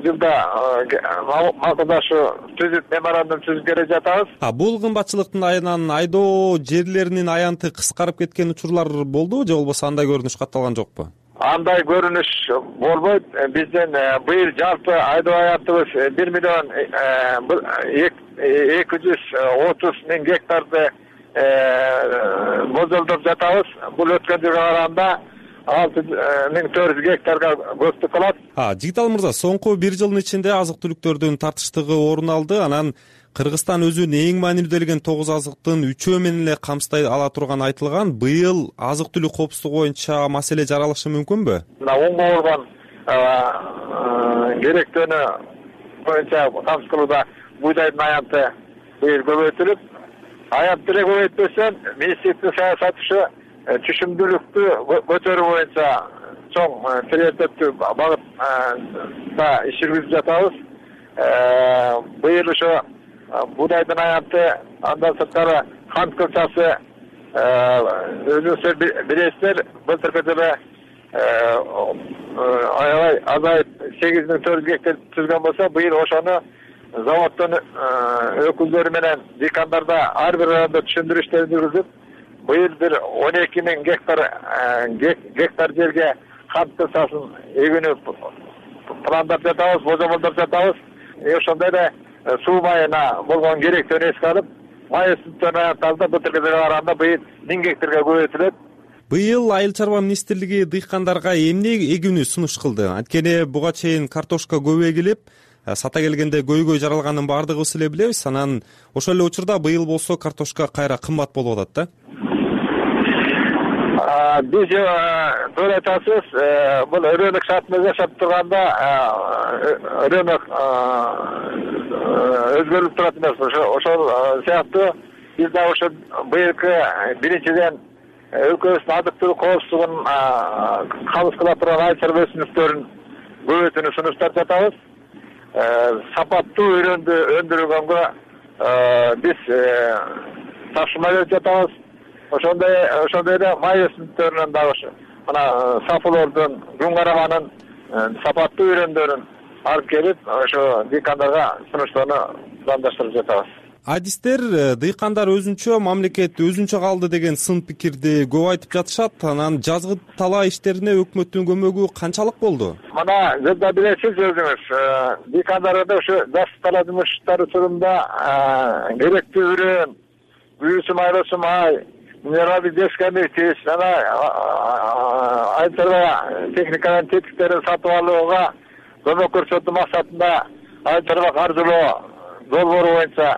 түзүп, меморандум түзүп келе жатабыз. Бул кымбатчылыктын айынан айдоо жерлеринин аянты кыскарып кеткен учурлар болдубу, же болбосо андай көрүнүш катталган жокпу? Андай көрүнүш болбойт. Биздин быйыл жалпы айдоо аянтыбыз 1,230,000 гектарды болжолдоп жатабыз. Бул өткөн жылга караганда 6,400 гектарга көптүк кылат. Жигиталы мырза, соңку бир жылдын ичинде азык түлүктөрдүн тартыштыгы орун алды. Анан Кыргызстан өзүн эң маанилүү делген 9 азыктын 3-өө менен эле камсыздай ала турганы айтылган. Быйыл азык түлүк коопсуздугу боюнча маселе жаралышы мүмкүнбү? Оңго болгон керектөөнү боюнча камсыз кылууда бууйдайдын аянты быйыл көбөйтүлүп, аянт деле көбөйтпөсөн, министрликтин саясаты түшүмдүүлүктү көтөрүү боюнча чоң приоритеттүү багытта иш жүргүзүп жатабыз. Быйыл ошо буудайдын аянты, андан сырткары кант кылчасы өзүңүздөр билесиздер, былтыркы жылы аябай азайып 8400 гектар түзгөн болсо, быйыл ошону заводдун өкүлдөрү менен дыйкандарда ар бир райондо түшүндүрүштөр жүргүзүп, быйыл бир 12,000 гектар жерге кант кылчасын эгүүнү пландап жатабыз, божомолдоп жатабыз. Ошондой эле суу майына болгон керектөөнү эске алып, май өсүмдүктөрүн аянтталды. Былтыркы жылга караганда быйыл 1000 гектарга көбөйтүлөт. Быйыл Айыл чарба министрлиги дыйкандарга эмне эгүүнү сунуш кылды? Анткени буга чейин картошка көп эгилип, сата келгенде көйгөй жаралганын баардыгыбыз эле билебиз. Анан ошол эле учурда быйыл болсо картошка кайра кымбат болуп атат да. Биз туура айтасыз, бул өрөөнүк шартында жашап турганда өрөөнүк өзгөрүп турат эмес. Ошол сыяктуу биз да ошо быйылкы биринчиден өлкөбүздүн азык түлүк коопсуздугун камсыз кыла турган айыл чарба өсүмдүктөрүн көбөйтүүнү сунуштап жатабыз. Сапаттуу үрөндү өндүргөнгө биз тапшырма берип жатабыз. Ошондой эле май өсүмдүктөрүнөн дагы мына сафулордун, күн карабанын сапаттуу үрөндөрүн алып келип, ошо дыйкандарга сунуштоону пландаштырып жатабыз. Адистер дыйкандар өзүнчө, мамлекет өзүнчө калды деген сын пикирди көп айтып жатышат. Анан жазгы талаа иштерине өкмөттүн көмөгү канчалык болду? Мына жылда билесиз өзүңүз, дыйкандарга ошо жазгы талаа жумуштары учурунда керектүү үрөөн, күйүүчү майлоочу май, минералдык жер семирткич жана айыл чарба техниканын тетиктерин сатып алууга көмөк көрсөтүү максатында айыл чарба каржылоо долбоору боюнча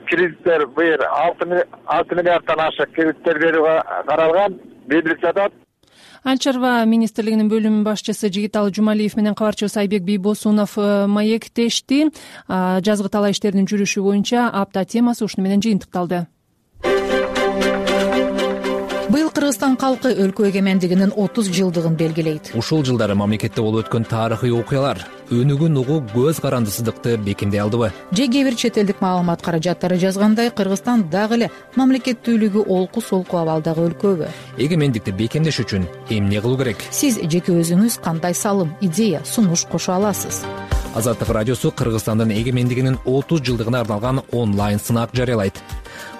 кредиттер быйыл 6 миллиарддан ашык кредиттер берүүгө каралган белгилип жатат. Айыл чарба министрлигинин бөлүм башчысы Жигиталы Жумалиев менен кабарчыбыз Айбек Бийбосунов маектешти. Жазгы талаа иштеринин жүрүшү боюнча апта темасы ушуну менен жыйынтыкталды. Быйыл Кыргызстан калкы өлкө эгемендигинин 30 жылдыгын белгилейт. Ушул жылдары мамлекетте болуп өткөн тарыхый окуялар өнүгүүн угуу көз карандысыздыкты бекемдей алдыбы? Же кээ бир чет элдик маалымат каражаттары жазгандай, Кыргызстан дагы эле мамлекеттүүлүгү олку солку абалдагы өлкөбү? Эгемендикти бекемдеш үчүн эмне кылуу керек? Сиз жеке өзүңүз кандай салым, идея, сунуш кошо аласыз? Азаттык радиосу Кыргызстандын эгемендигинин 30 жылдыгына арналган онлайн сынак жарыялайт.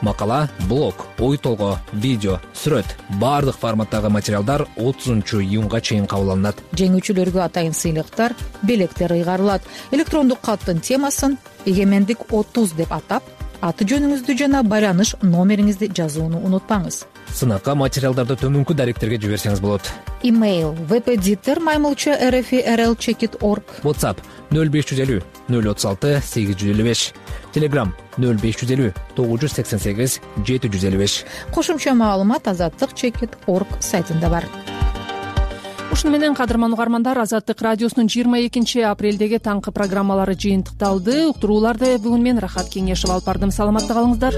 Макала, блог, ой толгоо, видео, сүрөт баардык форматтагы материалдар 30-июнга чейин кабыл алынат. Жеңүүчүлөргө атайын сыйлыктар, белектер ыйгарылат. Электрондук каттын темасын эгемендик 30 деп атап, аты жөнүңүздү жана байланыш номериңизди жазууну унутпаңыз. Сынакка материалдарды төмөнкү даректерге жиберсеңиз болот. Имейл webeditor@rfi.rl.org. WhatsApp 0550 036 855. Telegram 0550 988 755. Кошумча маалымат azatlyk.org сайтында бар. Ушуну менен кадырман угармандар, Азаттык радиосунун 22 апрелдеги таңкы программалары жыйынтыкталды. Уктурууларды бүгүн мен Рахат Кеңешов алып бардым. Саламатта калыңыздар.